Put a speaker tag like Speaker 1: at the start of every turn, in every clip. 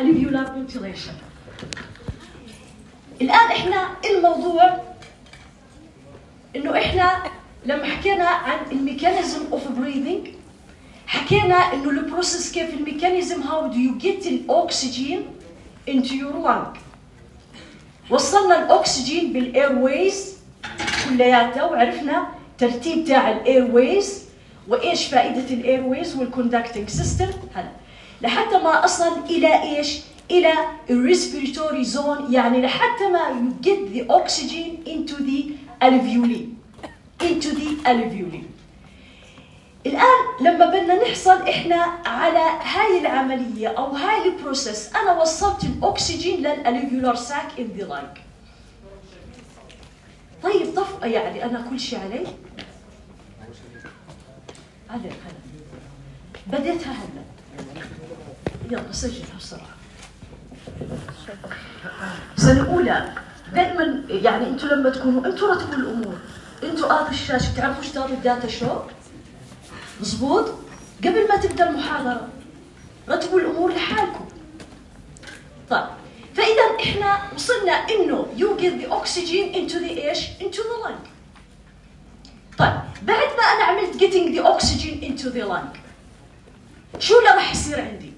Speaker 1: alveolar ventilation. الآن إحنا الموضوع إنه إحنا لما حكينا عن الميكانيزم اوف بريذنج حكينا إنه البروسيس كيف الميكانيزم how do you get الأكسجين into your lung. وصلنا الأكسجين بالإيرويز كلياتها وعرفنا ترتيب تاع الإيرويز وإيش فائدة الإيرويز والكوندكتنج سيستم. هلا لحتى ما أصل إلى إيش؟ إلى الريسبيراتوري زون، يعني لحتى ما you get the oxygen into the alveoli. الآن لما بدنا نحصل إحنا على هاي العملية أو هاي البروسيس، أنا وصلت الأكسجين للألفيولار ساك in the lung. طيب طفء يعني أنا كل شيء علي؟ عليك هلا بديتها هلا. يلا سجلها بسرعة. سنة أولى دائما يعني أنتوا لما تكونوا أنتوا رتبوا الأمور، أنتوا الشاشة تعرفوا اشتغلوا الداتا شو؟ مظبوط؟ قبل ما تبدأ المحاضرة رتبوا الأمور لحالكم. طيب فإذا إحنا وصلنا إنه you get the oxygen into the إيش؟ into the lung. طيب بعد ما أنا عملت getting the oxygen into the lung شو اللي راح يصير عندي؟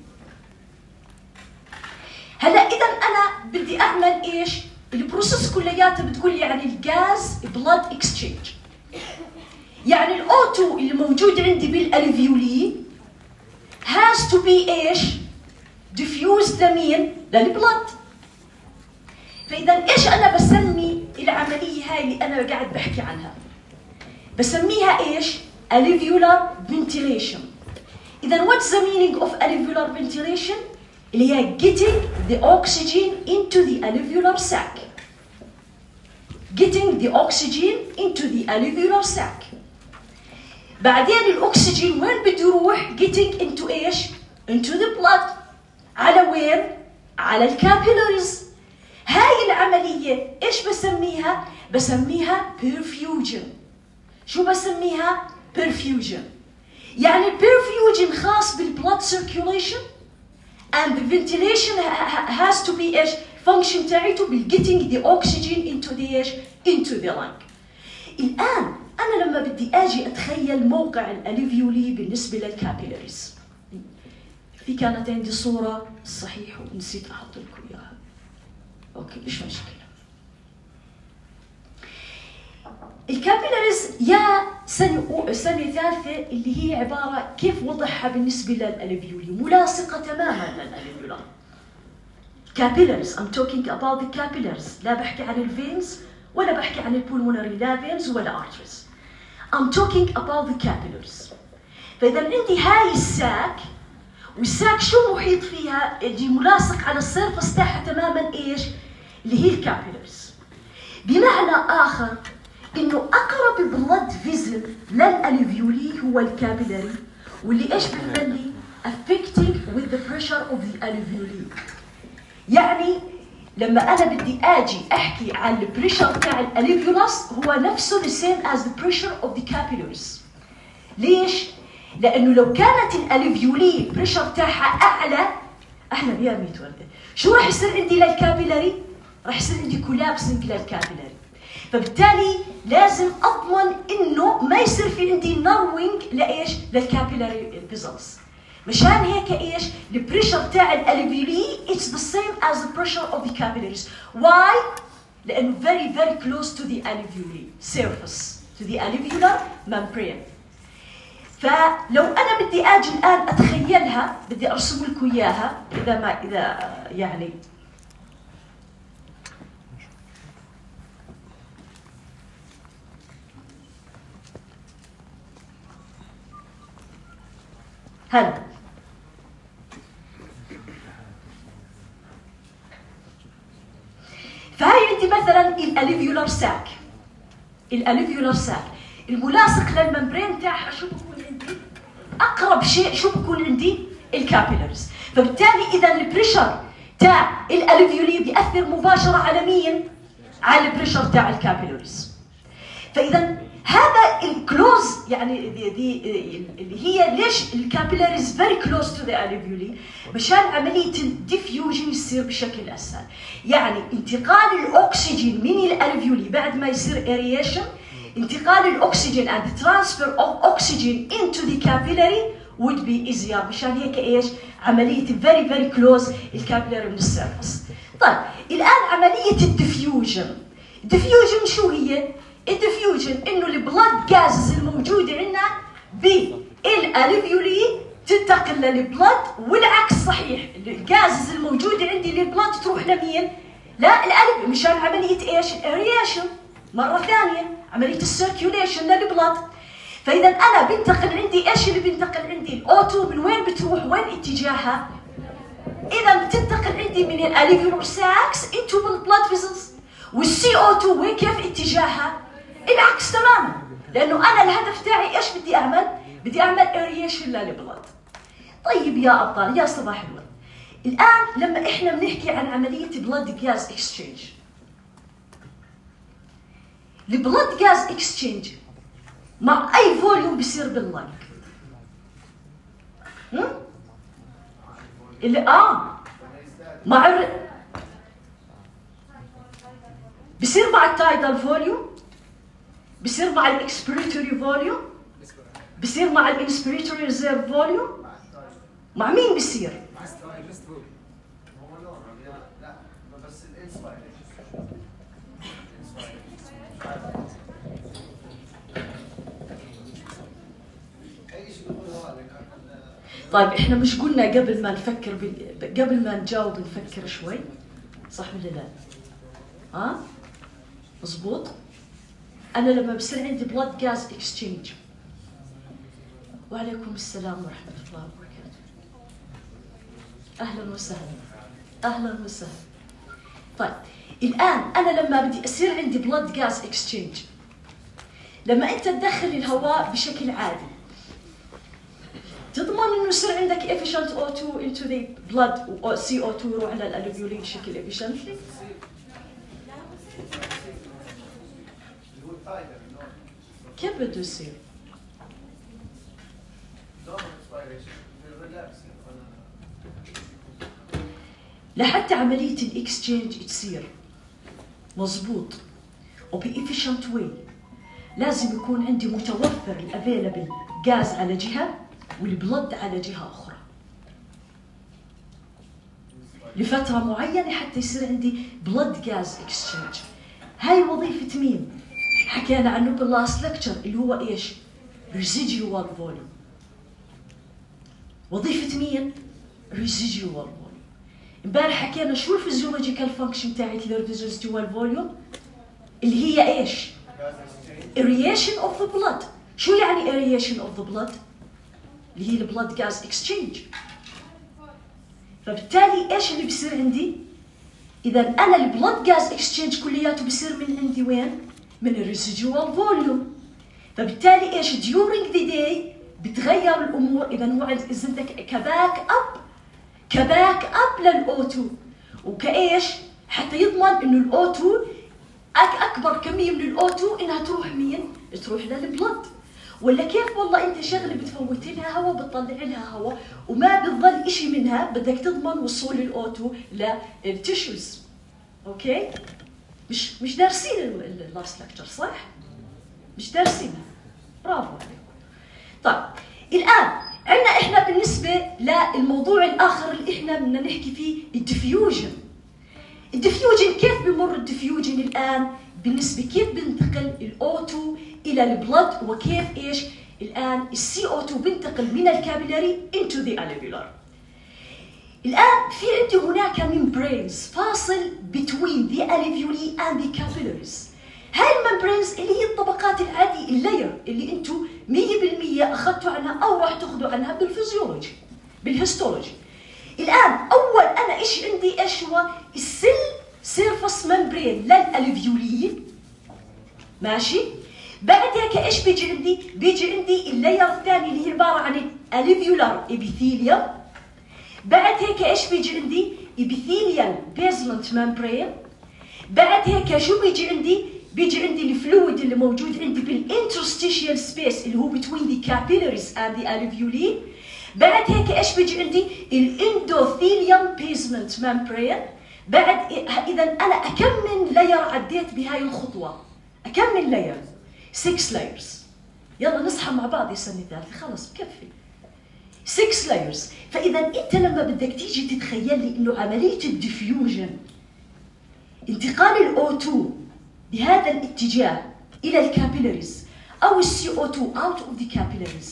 Speaker 1: هلا إذا أنا بدي أعمل إيش؟ البروسيس كلياتها بتقول يعني الغاز بلاد اكسشينج. يعني الأوتو اللي موجود عندي بالألفيولي has to be إيش؟ diffused لمين؟ للبلاد. فإذا إيش أنا بسمي العملية هاي اللي أنا قاعد بحكي عنها؟ بسميها إيش؟ alveolar ventilation. إذا what's the meaning of alveolar ventilation؟ اللي هي getting the oxygen into the alveolar sac. Getting the oxygen into the alveolar sac. بعدين الأكسجين وين بده يروح؟ getting into إيش؟ into the blood. على وين؟ على الكابيلاريز. هاي العملية إيش بسميها؟ بسميها perfusion. شو بسميها؟ perfusion. يعني perfusion خاص بالبلد circulation and the ventilation has to be إيش؟ function تاعته بالgetting the oxygen into the إيش؟ into the lung. الآن أنا لما بدي أجي أتخيل موقع الألفيولي بالنسبة للكابيلاريز، في كانت عندي صورة صحيح ونسيت أحط لكم إياها. أوكي مش مشكلة. الكابيلاريز يا سنة ثالثة اللي هي عبارة كيف وضعها بالنسبة للألفيولي، ملاصقة تماما للألفيولار. capillaries I'm talking about the capillaries. لا بحكي عن الفينز ولا بحكي عن البولمونري لا فينز ولا arteries. I'm talking about the capillaries. فإذا عندي هاي الساك، والساك شو محيط فيها؟ اللي ملاصق على السيرفس تاعها تماما إيش؟ اللي هي الكابيلاريز. بمعنى آخر إنه أقرب بلد فيزل للألفيولي هو الكابيلاري، واللي إيش بنبني؟ affecting with the pressure of the alveoli. يعني لما أنا بدي أجي أحكي عن البريشر تاع الألفيولاس هو نفسه the same as the pressure of the capillaries. ليش؟ لأنه لو كانت الألفيولي بريشر تاعها أعلى، أهلا يا ميت وردة، شو راح يصير عندي للكابيلاري؟ راح يصير عندي كولابسنج للكابيلاري. فبالتالي لازم أضمن إنه ما يصير في عندي ناروينج لإيش؟ للكابيلاري فيزلز. مشان هيك إيش؟ البريشر تاع الألفيولي it's the same as the pressure of the capillaries. Why؟ لأنه very close to the alveoli surface, to the alveolar membrane. فلو أنا بدي أجي الآن أتخيلها، بدي أرسم لكم إياها إذا يعني هلا. فهي عندي مثلا الالفيولار ساك. الالفيولار ساك الملاصق للممبرين تاعها شو بكون عندي؟ اقرب شيء شو بكون عندي؟ الكابيلاريز. فبالتالي اذا البريشر تاع الالفيولي بيأثر مباشره على مين؟ على البريشر تاع الكابيلاريز. فاذا هذا الكلوز يعني اللي هي ليش الكابيلاريز فيري كلوز تو ذا الفيولي؟ مشان عمليه الديفيوجن بيصير بشكل اسهل. يعني انتقال الاكسجين من الالفيولي بعد ما يصير aeration، انتقال الاكسجين and transfer of oxygen into the capillary would be easier. مشان هيك ايش؟ عمليه very very close الكابيلاري من السيرفس. طيب الان عمليه الديفيوجن. الديفيوجن شو هي؟ الديفيوجن انه البلاد جازز الموجوده عندنا بالالفيولي تنتقل للبلد، والعكس صحيح، الجازز الموجوده عندي للبلد تروح لمين؟ لا القلب، مشان عمليه ايش؟ الارياشن مره ثانيه، عمليه السيركيوليشن للبلد. فاذا انا بنتقل عندي ايش اللي بنتقل عندي؟ الاوتو من وين بتروح؟ وين اتجاهها؟ اذا بتنتقل عندي من الالفيولار ساكس انتو البلد فيزلز، والسي او 2 وين كيف اتجاهها؟ العكس تماما، لانه انا الهدف تاعي ايش بدي اعمل؟ بدي اعمل ارياشن للبلد. طيب يا ابطال يا صباح الورد، الان لما احنا بنحكي عن عمليه بلد جاز اكسشينج، البلد جاز اكسشينج مع اي فوليوم بيصير باللايك؟ اللي مع بيصير مع التايدال فوليوم، بيصير مع الاكسبيريتوري فوليوم، بيصير مع الانسبيريتوري ريزيرف فوليوم. مع مين بيصير؟ طيب احنا مش قلنا قبل ما نفكر قبل ما نجاوب نفكر شوي، صح ولا لا؟ مظبوط؟ انا لما بصير عندي بلاد جاز اكسشينج. وعليكم السلام ورحمه الله وبركاته. اهلا وسهلا. اهلا وسهلا. طيب الان انا لما بدي يصير عندي بلاد جاز اكسشينج، لما انت تدخل الهواء بشكل عادي تضمن انه يصير عندك efficient O2 into the blood و CO2 يروح على الالفيولي بشكل efficiently؟ كيف بده يصير؟ لحتى عملية الاكسشينج تصير مظبوط وبإفيشنت واي لازم يكون عندي متوفر الافيلابل غاز على جهة والبلد على جهة أخرى لفترة معينة حتى يصير عندي بلد غاز اكسشينج. هاي وظيفة مين؟ حكينا عنه باللاست لكتشر اللي هو ايش؟ ريزيديوال فوليوم. وظيفة مين؟ ريزيديوال فوليوم. امبارح حكينا شو الفيزيولوجيكال فانكشن تاعت الريزيديوال فوليوم؟ اللي هي ايش؟ aeration of the blood. شو يعني aeration of the blood؟ اللي هي البلد غاز اكسشينج. فبالتالي ايش اللي بيصير عندي؟ اذا انا البلد غاز اكسشينج كلياته بيصير من عندي وين؟ من الريزيديوال فوليوم. فبالتالي ايش؟ during the day بتغير الامور. اذا هو عندك كباك اب للاو2 وكايش؟ حتى يضمن انه الاو2 اكبر كميه من الاو2 انها تروح مين؟ تروح للبلد. ولا كيف والله انت شغله بتفوت لها هواء بتطلع لها هواء وما بتضل شيء منها، بدك تضمن وصول الاو2 للتيشوز. اوكي؟ مش دارسين اللاست لكتشر صح؟ مش دارسينها. برافو عليكم. طيب الان عندنا احنا بالنسبه للموضوع الاخر اللي احنا بدنا نحكي فيه الديفيوجن. الديفيوجن كيف بمر الديفيوجن الان؟ بالنسبه كيف بنتقل الاو2 الى البلد وكيف ايش؟ الان السي او 2 بنتقل من الكابيلاري into the alveolar. الان في عندي هناك membranes فاصل between the alveoli and the capillaries. هاي الممبرينز اللي هي الطبقات العادية اللاير اللي انتم 100% اخذتوا عنها او راح تاخذوا عنها بالفيزيولوجي بالهيستولوجي. الان اول انا ايش عندي؟ ايش هو؟ السيل سيرفس ممبرين للالفيولي. ماشي؟ بعد هيك ايش بيجي عندي؟ بيجي عندي اللاير الثاني اللي هي عباره عن الالفيولار ابيثيليوم. بعد هيك ايش بيجي عندي؟ ابيثيليال بيزمنت ممبرين. بعد هيك شو بيجي عندي؟ بيجي عندي الفلويد اللي موجود عندي بالانترستيشيال سبيس اللي هو between the capillaries and the alveoli. بعد هيك ايش بيجي عندي؟ الاندوثيليوم بيزمنت ممبرين. بعد اذا انا اكم من لاير عديت بهاي الخطوه؟ اكم من لاير؟ 6 لايرز. يلا نصحى مع بعض يا سنه ثالثه، خلص بكفي 6 لايرز. فاذا انت لما بدك تيجي تتخيل لي انه عمليه الديفيوجن، انتقال الO2 بهذا الاتجاه الى الكابيلاريز او الCO2 out of the capillaries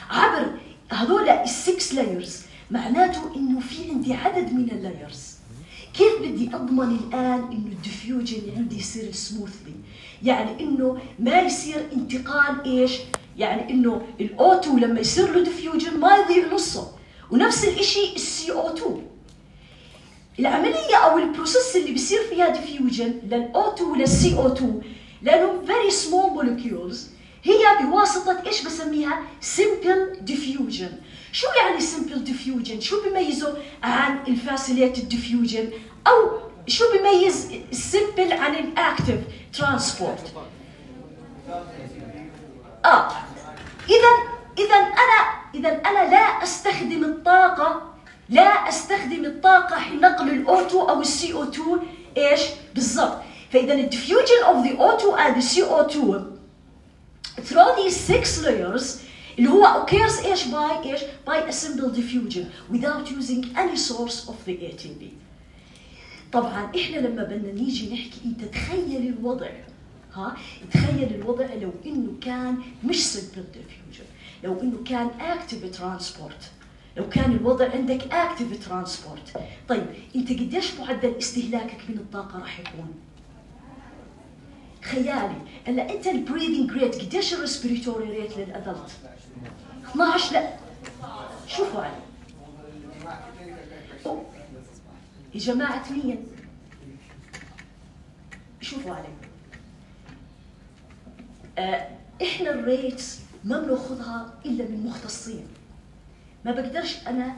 Speaker 1: عبر هذول ال6 لايرز، معناته انه في عندي عدد من اللايرز. كيف بدي اضمن الان انه الديفيوجن عندي يصير سموثلي؟ يعني انه ما يصير انتقال ايش؟ يعني انه الO2 لما يصير له ديفيوجن ما يضيع نصه، ونفس الشيء الCO2. العمليه او البروسيس اللي بيصير فيها ديفيوجن للO2 وللCO2 لانهم very small molecules هي بواسطه ايش بسميها؟ simple diffusion. شو يعني simple diffusion؟ شو بيميزه عن الفاسيليتد diffusion؟ او شو بيميز السمبل عن الاكتف ترانسبورت؟ اذا انا لا استخدم الطاقه حين نقل الO2 او الCO2 ايش بالضبط. فاذا الديفيوجن اوف ذا O2 and the CO2 through these 6 layers اللي هو occurs ايش by a simple diffusion without using any source of the ATP. طبعا احنا لما بدنا نيجي نحكي، انت تخيل الوضع، تخيل الوضع لو انه كان مش simple diffusion، لو انه كان active transport، لو كان الوضع عندك active transport. طيب انت قديش معدل استهلاكك من الطاقه راح يكون؟ خيالي. هلا انت البريذنج ريت قديش الريسبيريتوري ريت للادلت؟ 12. لا شوفوا علي يا جماعه، مين شوفوا علي. احنا الريتس ما بناخذها الا من مختصين. ما بقدرش انا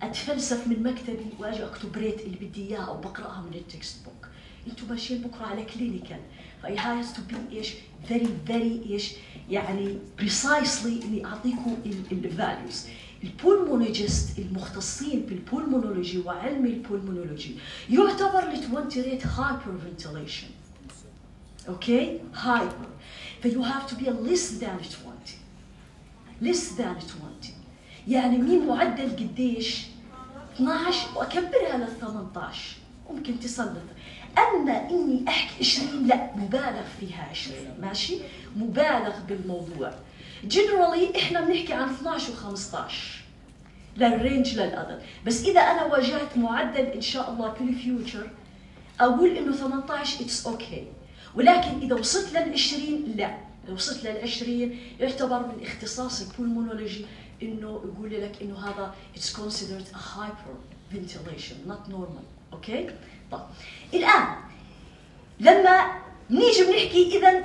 Speaker 1: اتفلسف من مكتبي واجي اكتب ريت اللي بدي اياه او بقراها من التكست بوك. انتم ماشيين بكره على كلينيكال، فاي هاز تو بي ايش فيري ايش يعني بريسايسلي اني اعطيكم الفاليوز. البولمونولوجيست المختصين بالبولمونولوجي وعلم البولمونولوجي يعتبر ال20 ريت هايبر فنتيليشن. اوكي هايبر، فيو هاف تو بي less than 20. يعني مين معدل قديش؟ 12 واكبرها لل 18 ممكن تصل. اما اني احكي 20 لا، مبالغ فيها 20، ماشي؟ مبالغ بالموضوع. جنرالي احنا بنحكي عن 12 و15 للرينج للادلت، بس اذا انا واجهت معدل ان شاء الله بالفيوتشر اقول انه 18 اتس اوكي. ولكن اذا وصلت لل20 لا، لو وصلت لل20 يعتبر من اختصاص البولمونولوجي انه يقول لك انه هذا اتس كونسيدرد ا هايبر فنتيليشن نوت نورمال. اوكي؟ طيب الان لما نيجي بنحكي اذا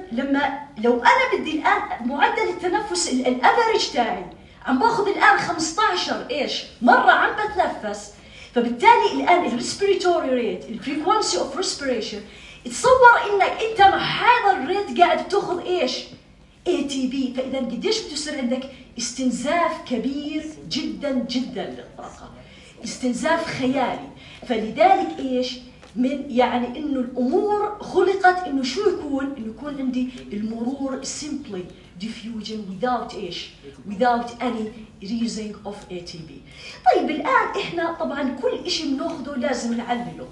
Speaker 1: لو انا بدي الان معدل التنفس الافريج تاعي عم باخذ الان 15 ايش مره عم بتنفس، فبالتالي الان الريسبيريتوري ريت الفريكونسي اوف ريسبيريشن، تصور انك انت مع هذا الريت قاعد بتاخذ ايش؟ ATP. فاذا قديش بتصير عندك استنزاف كبير جدا للطاقه، استنزاف خيالي. فلذلك ايش؟ من يعني انه الامور خلقت انه شو يكون؟ انه يكون عندي المرور simply diffusion without ايش؟ without any using of ATP. طيب الان احنا طبعا كل شيء بناخذه لازم نعلله،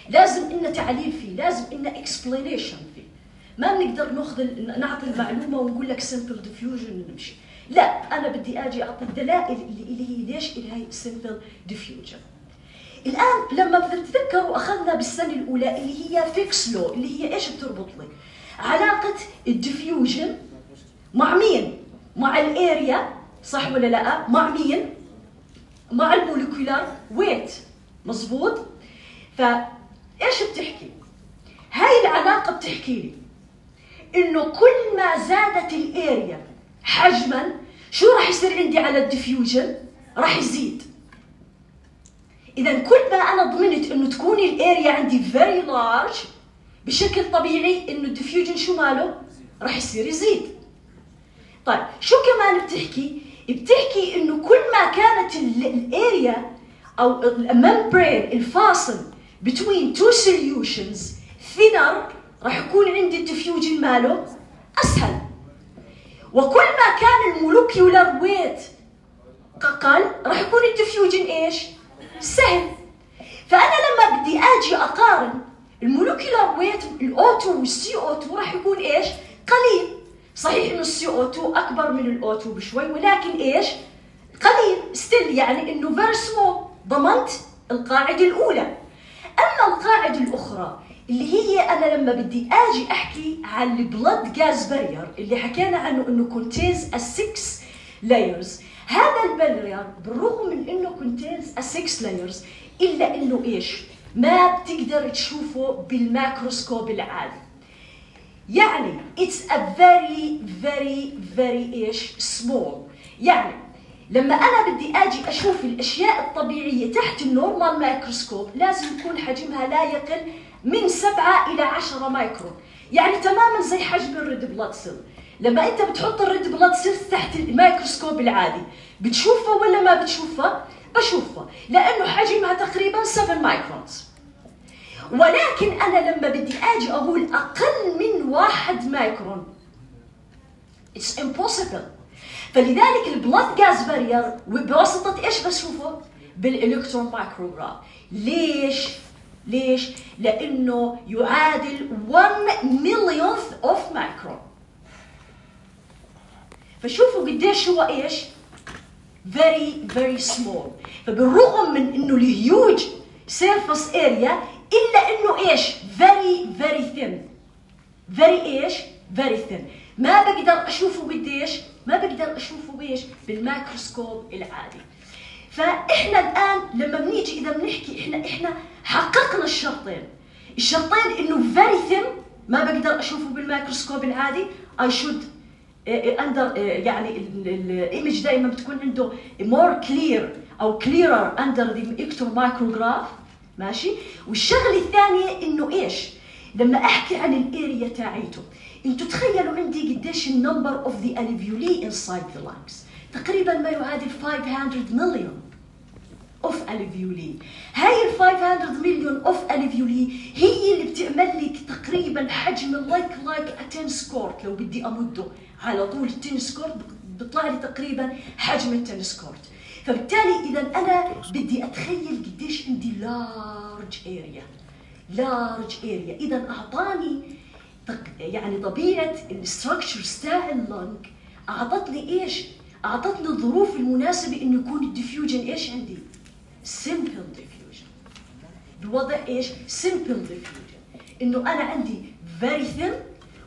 Speaker 1: لازم إن تعليل فيه، لازم إن explanation فيه. ما بنقدر نعطي المعلومة ونقول لك simple diffusion ونمشي. لا، أنا بدي أجي أعطي الدلائل اللي هي ليش هي simple diffusion. الآن لما بتتذكروا أخذنا بالسنة الأولى اللي هي فيكس لو، اللي هي إيش بتربط لي؟ علاقة الديفيوجن مع مين؟ مع الاريا، صح ولا لا؟ مع مين؟ مع الموليكولار ويت، مظبوط؟ فايش بتحكي؟ هاي العلاقة بتحكي لي إنه كل ما زادت الاريا حجما شو راح يصير عندي على الديفيوجن؟ راح يزيد. إذا كل ما أنا ضمنت إنه تكون الاريا عندي very large بشكل طبيعي إنه الديفيوجن شو ماله؟ راح يصير يزيد. طيب شو كمان بتحكي؟ بتحكي إنه كل ما كانت الاريا أو الممبرين الفاصل between two solutions thinner راح يكون عندي الديفيوجن ماله أسهل، وكل ما كان المولكيولر ويت أقل راح يكون الديفيوجن إيش؟ سهل. فأنا لما بدي أجي أقارن المولكيولر ويت الأو2 والCO2 راح يكون إيش؟ قليل. صحيح إنه الCO2 أكبر من الأو2 بشوي، ولكن إيش؟ قليل ستيل، يعني إنه very small. ضمنت القاعدة الأولى. أما القاعدة الأخرى اللي هي أنا لما بدي أجي أحكي عن البلد جاز بارير اللي حكينا عنه إنه contains a 6 layers. هذا البارير بالرغم من إنه contains a 6 layers إلا إنه إيش؟ ما بتقدر تشوفه بالميكروسكوب العادي. يعني it's a very إيش؟ small. يعني لما أنا بدي أجي أشوف الأشياء الطبيعية تحت النورمال ميكروسكوب لازم يكون حجمها لا يقل من 7 إلى 10 مايكرون، يعني تماما زي حجم الريد بلاد سيل. لما أنت بتحط الريد بلاد سيل تحت الميكروسكوب العادي بتشوفها ولا ما بتشوفها؟ بشوفها، لأنه حجمها تقريبا 7 مايكرونز. ولكن أنا لما بدي أجي أقول أقل من 1 مايكرون it's impossible. فلذلك البلاد جاز بارير بواسطة إيش بشوفه؟ بالإلكترون مايكروغراف. ليش؟ لأنه يعادل 1 مليونث أوف مايكرون. فشوفوا قديش هو إيش؟ very small. فبالرغم من إنه الهيوج surface area إلا إنه إيش؟ very thin. very thin. ما بقدر أشوفه قديش؟ ما بقدر أشوفه بإيش؟ بالميكروسكوب العادي. فإحنا الآن لما بنيجي إذا بنحكي إحنا حققنا الشرطين إنه very thin ما بقدر أشوفه بالميكروسكوب العادي. I should يعني الإيمج دائما بتكون عنده more clear أو clearer under the electron micrograph. ماشي. والشغلة الثانية إنه إيش؟ لما أحكي عن الاريا تاعيته انتوا تخيلوا عندي قديش النمبر اوف ذا الفيولي انسايد ذا لانجز، تقريبا ما يعادل 500 مليون اوف الفيولي. هاي ال 500 مليون اوف الفيولي هي اللي بتعمل لك تقريبا حجم لايك تنس كورت. لو بدي امده على طول التنس كورت بيطلع لي تقريبا حجم التنس كورت. فبالتالي اذا انا بدي اتخيل قديش عندي لارج اريا. اذا اعطاني يعني طبيعه الستراكشرز تاع اللنج اعطتني ايش؟ اعطتني الظروف المناسبه انه يكون الديفيوجن ايش عندي؟ سمبل ديفيوجن. بوضع ايش؟ سمبل ديفيوجن، انه انا عندي فيري ثين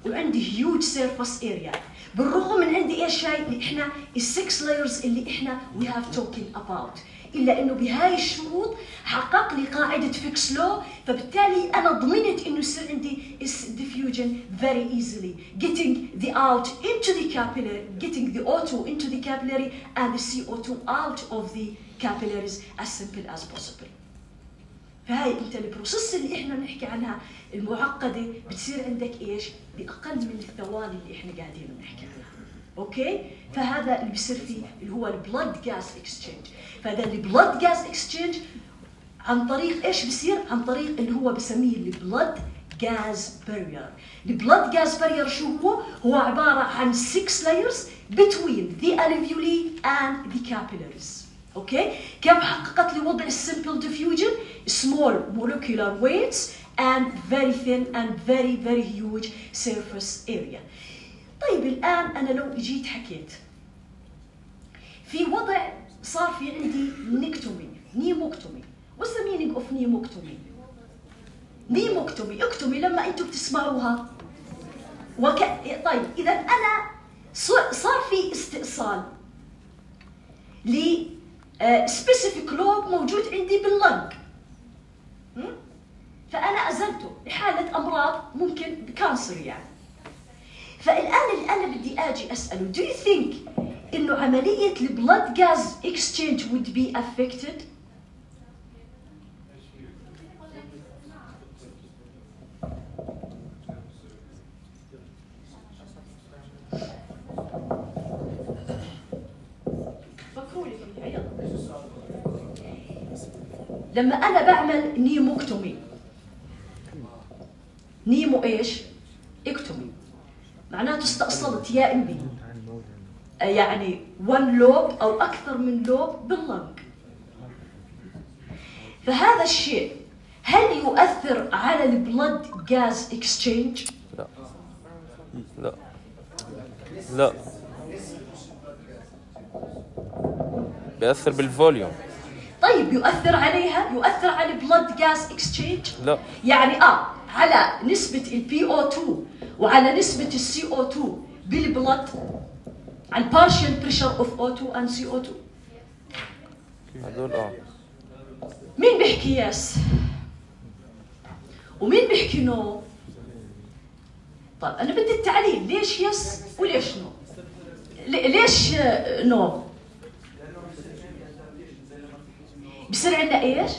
Speaker 1: وعندي هيوج سيرفيس اريا. بالرغم من عندي ايش هاي احنا السكس لايرز اللي احنا وي هاف توكينج اباوت، الا انه بهاي الشروط حقق لي قاعده فيكس لو. فبالتالي انا ضمنت انه يصير عندي diffusion very easily, getting the out into the capillary, getting the O2 into the capillary and the CO2 out of the capillaries as simple as possible. فهاي انت البروسيس اللي احنا بنحكي عنها المعقده بتصير عندك ايش؟ باقل من الثواني اللي احنا قاعدين بنحكي عنها. اوكي؟ فهذا اللي بيصير فيه اللي هو البلد جاز اكسشينج. فهذا البلد جاز اكسشينج عن طريق ايش بيصير؟ عن طريق اللي هو بسميه البلد جاز بارير. البلد جاز بارير شو هو؟ هو عباره عن 6 layers between the alveoli and the capillaries. اوكي؟ كيف حققت لي وضع السمبل ديفيوجن؟ small molecular weights and very thin and very huge surface area. طيب الآن أنا لو جيت حكيت في وضع صار في عندي نيموكتومي. What's the meaning of نيموكتومي؟ اكتومي لما أنتم بتسمعوها طيب إذا أنا صار في استئصال ل specific lobe موجود عندي باللنج، فأنا أزلته لحالة أمراض ممكن بكانسر يعني. فالآن اللي أنا بدي أجي أسأله do you think إنه عملية البلد جاز exchange would be affected؟ لما أنا بعمل نيموكتومي، نيمو إيش؟ إكتومي، معناته استأصلت يا إمي يعني 1 لوب أو أكثر من لوب باللنج. فهذا الشيء هل يؤثر على البلد جاز اكسشينج؟
Speaker 2: لا لا لا، بيأثر بالفوليوم.
Speaker 1: طيب يؤثر عليها؟ يؤثر على البلد جاز اكسشينج؟
Speaker 2: لا.
Speaker 1: يعني على نسبة الPO2 وعلى نسبة الCO2 بالبلد، على partial pressure of O2 and CO2.
Speaker 2: هذول
Speaker 1: مين بيحكي يس؟ ومين بيحكي نو؟ طيب أنا بدي التعليل، ليش يس وليش نو؟ ليش نو؟ بصير عندنا ايش؟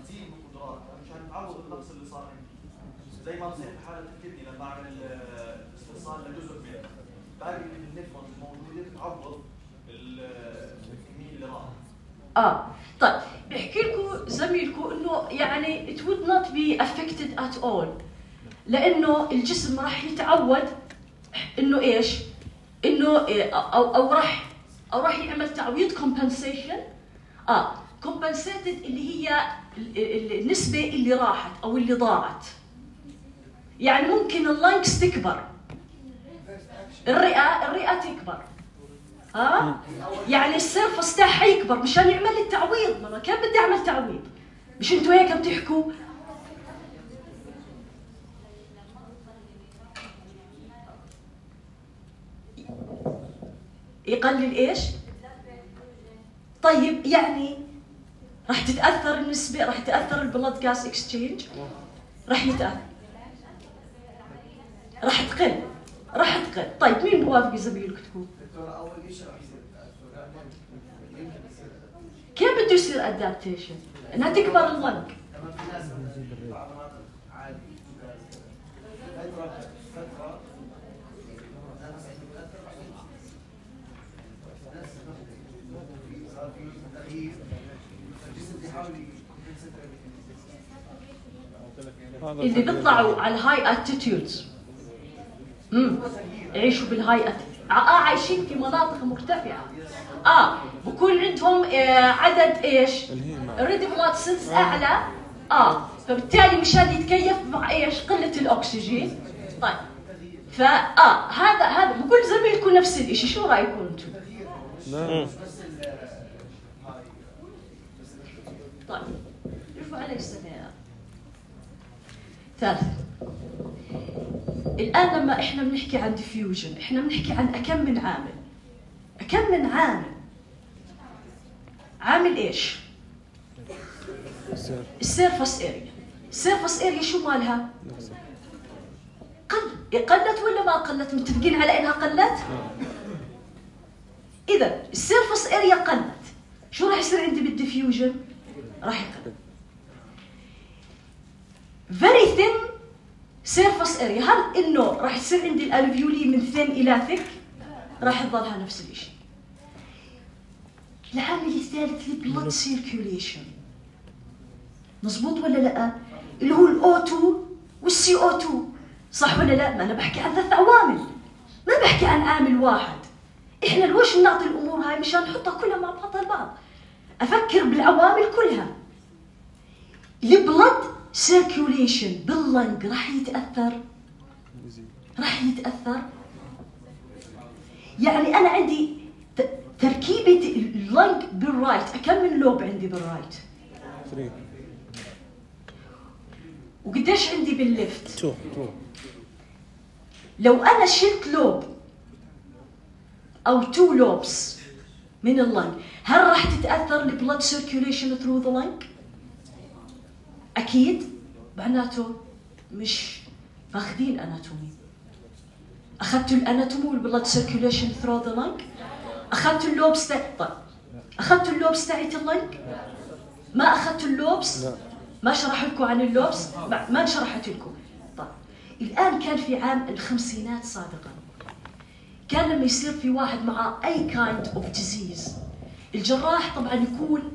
Speaker 3: بتزيد القدرات مشان تعوض النقص اللي صار عندي، زي ما بصير في حاله الكدني لما اعمل استئصال لجزء منه، باقي النفرون الموجوده تعوض الكميه اللي راحت.
Speaker 1: طيب بحكي لكم زميلكم انه يعني it would not be affected at all، لانه الجسم راح يتعود انه ايش؟ انه او راح يعمل تعويض compensation. compensated اللي هي النسبة اللي راحت او اللي ضاعت. يعني ممكن اللنكس تكبر، الرئة تكبر، يعني السيرفس تاعها يكبر مشان يعمل التعويض. ما كان بدي اعمل تعويض، مش انتوا هيك بتحكوا؟ يقلل ايش؟ طيب يعني راح تتاثر النسبه، راح تتاثر البلد جاز اكسشينج، راح يتاثر، راح تقل. طيب مين بوافق زميلك تكون؟ كيف بده يصير ادابتيشن؟ انها تكبر اللنج. اللي بيطلعوا على الهاي اتيتيودز يعيشوا بالهاي عايشين في مناطق مرتفعه، بكون عندهم عدد ايش؟ ريد بلاد سيلز اعلى، فبالتالي مشان يتكيف مع ايش؟ قله الاكسجين. طيب هذا بقول زميلكم نفس الشيء، شو رايكم انتم؟ طيب شوفوا علي السنة. ثالث، الآن لما إحنا بنحكي عن ديفيوجن إحنا بنحكي عن أكم من عامل. عامل إيش؟ السيرفس اريا. السيرفس اريا شو مالها؟ قلت ولا ما قلت؟ متفقين على إنها قلت؟ إذا السيرفس اريا قلت، شو راح يصير عندي بالديفيوجن؟ راح يقل. very thin surface area. هل إنه راح يصير عندي الألفيولي من thin إلى thick؟ راح يظلها نفس الشيء. العامل الثالث البلود سيركيوليشن، مزبوط ولا لا؟ اللي هو الO2 والCO2، صح ولا لا؟ ما أنا بحكي عن 3 عوامل، ما بحكي عن عامل واحد. إحنا لوش بنعطي الأمور هاي؟ مشان نحطها كلها مع بعضها البعض، أفكر بالعوامل كلها. البلود سيركيوليشن باللنج راح يتأثر. يعني أنا عندي تركيبة اللنج بالرايت، كم من لوب عندي بالرايت؟
Speaker 2: 3.
Speaker 1: وقديش عندي بالليفت؟
Speaker 2: 2.
Speaker 1: لو أنا شلت لوب أو 2 لوبس من اللنج، هل راح تتأثر البلود سيركيوليشن ثرو ذا لنج؟ أكيد. معناته مش ماخذين أناتومي. أخذتوا الأناتومي والبلود سيركيوليشن ثرو ذا لنج؟ أخذتوا اللوبس أخذتوا اللوبس تاعت اللنج؟ ما أخذتوا اللوبس؟ ما شرح لكم عن اللوبس؟ ما شرحت لكم. طيب الآن كان في عام الخمسينات سابقا، كان لما يصير في واحد مع أي kind of disease الجراح طبعا يكون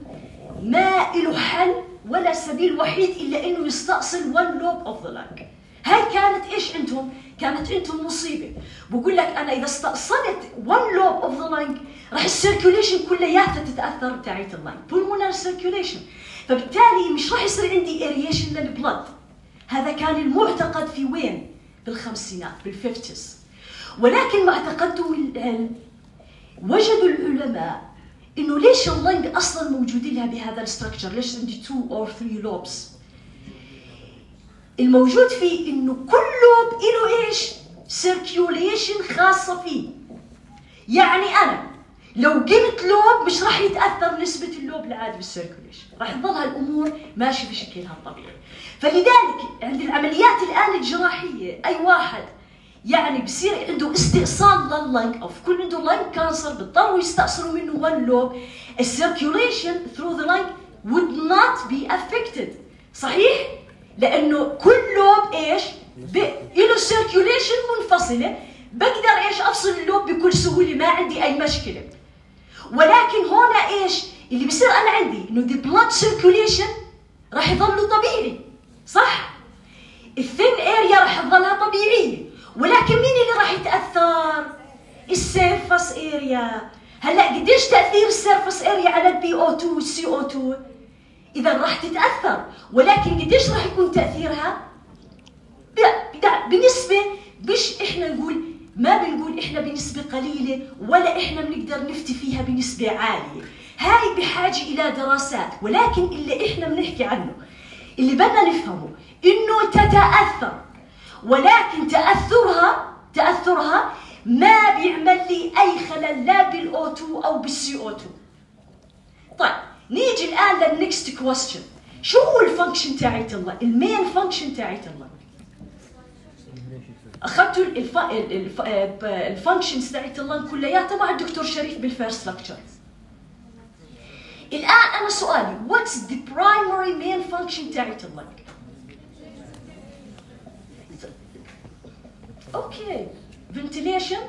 Speaker 1: ما له حل ولا سبيل وحيد إلا إنه يستأصل one lobe of the lung. هاي كانت إيش عندهم؟ كانت عندهم مصيبة. بقول لك أنا إذا استأصلت one lobe of the lung راح السيركوليشن كلياتها تتأثر بتاعت اللنج، pulmonary circulation. فبالتالي مش راح يصير عندي aeration للبلد. هذا كان المعتقد في وين؟ بالخمسينات، بالفيفتس. ولكن مع تقدم العلم وجدوا العلماء إنه ليش اللنج أصلاً موجودين لها بهذا الستركتشر؟ ليش عندي 2 or 3 لوبس؟ الموجود فيه إنه كل لوب له إيش؟ circulation خاصة فيه. يعني أنا لو قمت لوب مش راح يتأثر نسبة اللوب العادي بالسيركوليشن، راح تظل هالأمور ماشي بشكلها الطبيعي. فلذلك عند العمليات الآن الجراحية أي واحد يعني بصير عنده استئصال لللنج أو كل عنده لنج كانسر بيضطروا يستأصلوا منه one lobe. السيركوليشن through the lung would not be affected. صحيح؟ لأنه كل لوب إيش؟ له سيركوليشن منفصلة، بقدر إيش أفصل اللوب بكل سهولة، ما عندي أي مشكلة. ولكن هنا إيش؟ اللي بصير أنا عندي إنه the blood circulation راح يظل طبيعي، صح؟ الثين اريا راح تظلها طبيعية، ولكن مين اللي راح يتأثر؟ السيرفس اريا. هلا قديش تأثير السيرفس اريا على البي او 2 والسي او 2؟ إذا راح تتأثر، ولكن قديش راح يكون تأثيرها؟ بنسبة مش إحنا نقول، ما بنقول إحنا بنسبة قليلة ولا إحنا بنقدر نفتي فيها بنسبة عالية. هاي بحاجة إلى دراسات، ولكن اللي إحنا بنحكي عنه اللي بدنا نفهمه إنه تتأثر، ولكن تأثرها ما بيعمل لي أي خلل لا بالأو 2 أو بالسي أو 2. طيب نيجي الآن للنكست كويستشن. شو هو الفانكشن تاعت الله؟ المين فانكشن تاعت الله. أخذتوا الفانكشنز تاعت الله كلياتها مع الدكتور شريف بالفيرست لكتشر. الآن أنا سؤالي what's the primary main function تاعت الله؟ أوكي ventilation.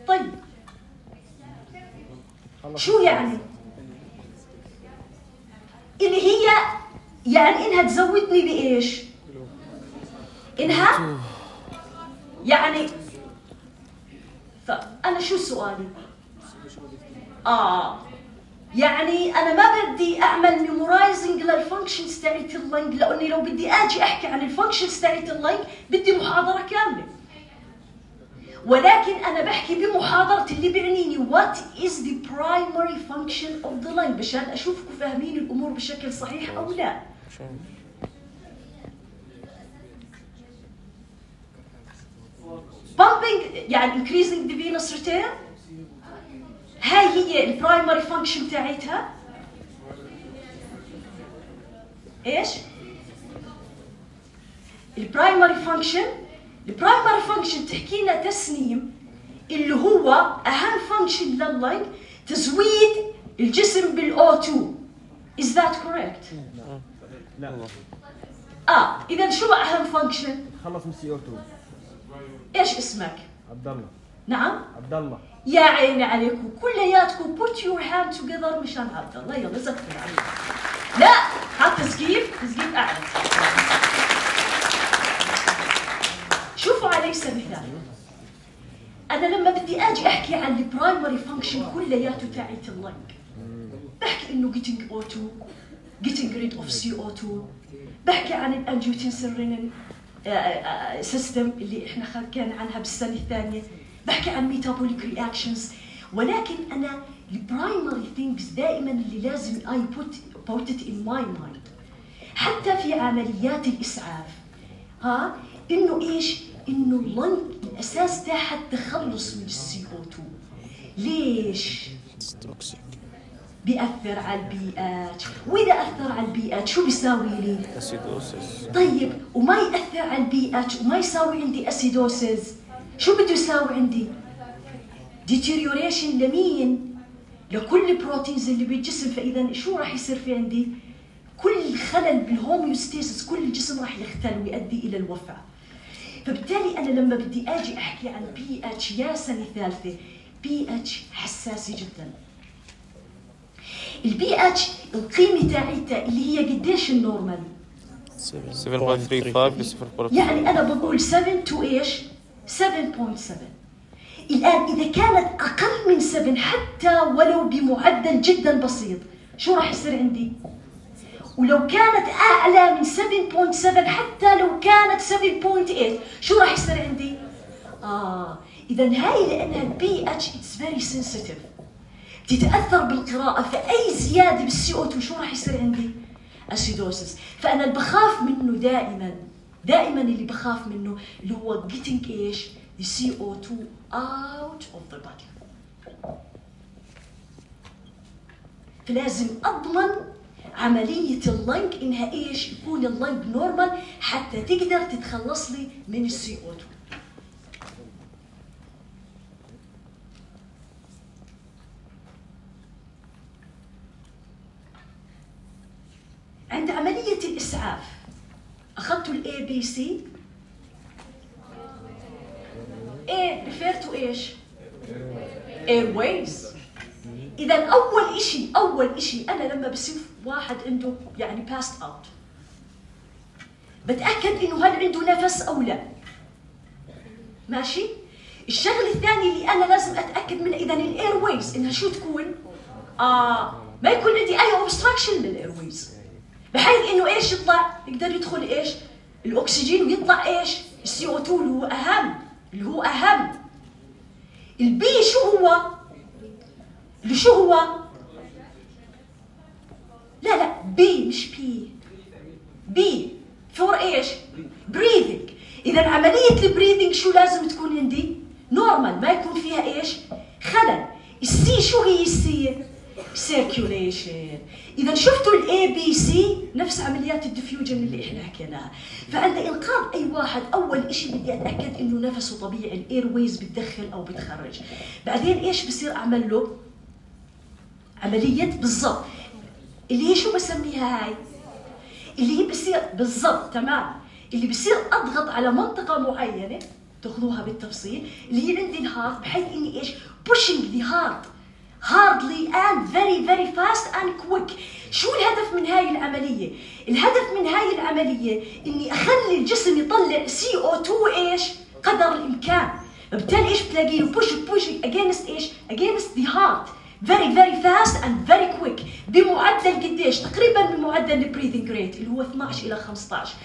Speaker 1: طيب شو يعني؟ اللي هي يعني إنها تزودني بإيش؟ إنها يعني فأنا شو سؤالي؟ يعني أنا ما بدي أعمل ميمورايزنج للفانكشنز تاعت اللنج، لأني لو بدي أجي أحكي عن الفانكشنز تاعت اللنج بدي محاضرة كاملة. ولكن أنا بحكي بمحاضرة اللي بيعنيني what is the primary function of the lung، مشان أشوفكم فاهمين الأمور بشكل صحيح أو لا. pumping يعني increasing the venous return، هاي هي البرايمري فانكشن تاعتها. ايش؟ البرايمري فانكشن تحكي لنا تسنيم اللي هو اهم فانكشن لللنج تزويد الجسم بالاو 2. is that correct؟
Speaker 4: لا.
Speaker 1: اذا شو اهم فانكشن؟
Speaker 4: خلص من السي او 2.
Speaker 1: ايش اسمك؟
Speaker 4: عبد الله.
Speaker 1: نعم؟
Speaker 4: عبد الله.
Speaker 1: يا عيني عليكم كلياتكم put your hand together مشان عبد الله. يلا زكوا عليك. لا حط تسقيف أعلى. شوفوا علي سبيل مثال، أنا لما بدي أجي أحكي عن البرايمري فانكشن كلياته تاعت اللنج بحكي إنه getting O2 getting rid of CO2، بحكي عن الأنجيوتنسين سيستم اللي إحنا حكينا عنها بالسنة الثانية، بحكي عن ميتابوليك رياكشنز. ولكن أنا البرايمري ثينجز دائما اللي لازم I put it in my mind حتى في عمليات الإسعاف إنه إيش؟ إنه اللنج الأساس تاعها التخلص من CO2. ليش؟ بيأثر على البيئات، وإذا أثر على البيئات شو بيساوي لي؟ أسيدوسيس. طيب وما يأثر على البيئات وما يساوي عندي أسيدوسيس، شو بده يساوي عندي؟ ديتيريوريشن لمين؟ لكل البروتينز اللي بالجسم. فإذا شو راح يصير في عندي؟ كل خلل بالهوميوستاسيس، كل الجسم راح يختل ويؤدي إلى الوفاة. فبالتالي أنا لما بدي أجي أحكي عن بي اتش يا سنة ثالثة pH حساسة جدا. البي اتش القيمة تاعتها اللي هي قديش النورمال؟
Speaker 2: 7.35 ل 0.4.
Speaker 1: يعني أنا بقول 7 to إيش؟ 7.7. الآن إذا كانت أقل من 7 حتى ولو بمعدل جدا بسيط شو راح يصير عندي؟ ولو كانت أعلى من 7.7 حتى لو كانت 7.8 شو راح يصير عندي؟ إذا هاي لأنها البي اتش it's very sensitive تتأثر بالقراءة، فأي زيادة بالسي او 2 شو راح يصير عندي؟ أسيدوسس. فأنا اللي بخاف منه دائما اللي بخاف منه اللي هو getting إيش؟ the CO2 out of the body. فلازم أضمن عملية اللنج إنها إيش؟ يكون اللنج نورمال حتى تقدر تتخلص لي من السي او 2. عند عملية الإسعاف أخذتوا ال ABC A refer to إيش؟ airways. إذا أول إشي أنا لما بشوف واحد عنده يعني passed out بتأكد إنه هل عنده نفس أو لا. ماشي؟ الشغلة الثانية اللي أنا لازم أتأكد منها إذا الإيرويز إنها شو تكون؟ ما يكون عندي أي obstruction للإيرويز بحيث إنه إيش يطلع يقدر يدخل إيش؟ الأكسجين ويطلع إيش؟ السي او 2 اللي هو أهم. البي شو هو؟ لا بي مش بي فور إيش؟ breathing. إذا عملية البريذنج شو لازم تكون عندي؟ نورمال ما يكون فيها إيش؟ خلل. السي شو هي السي؟ circulation. إذا شفتوا ال ABC نفس عمليات الديفيوجن اللي إحنا حكيناها. فعند إنقاذ أي واحد أول إشي بدي أتأكد إنه نفسه طبيعي، الإيرويز بتدخل أو بتخرج. بعدين إيش بصير أعمل له؟ عملية بالضبط اللي هي شو بسميها هاي؟ اللي هي بصير بالضبط تمام اللي بصير أضغط على منطقة معينة تأخذوها بالتفصيل اللي هي عندي الهارت بحيث إني إيش؟ pushing the heart hardly and very fast and quick. شو الهدف من هاي العملية؟ الهدف من هاي العملية إني أخلي الجسم يطلع CO2 إيش؟ قدر الإمكان. بالتالي إيش بتلاقيه pushing against إيش؟ against the heart very fast and very quick بمعدل قديش؟ تقريبا بمعدل البريذنج ريت اللي هو 12 إلى 15.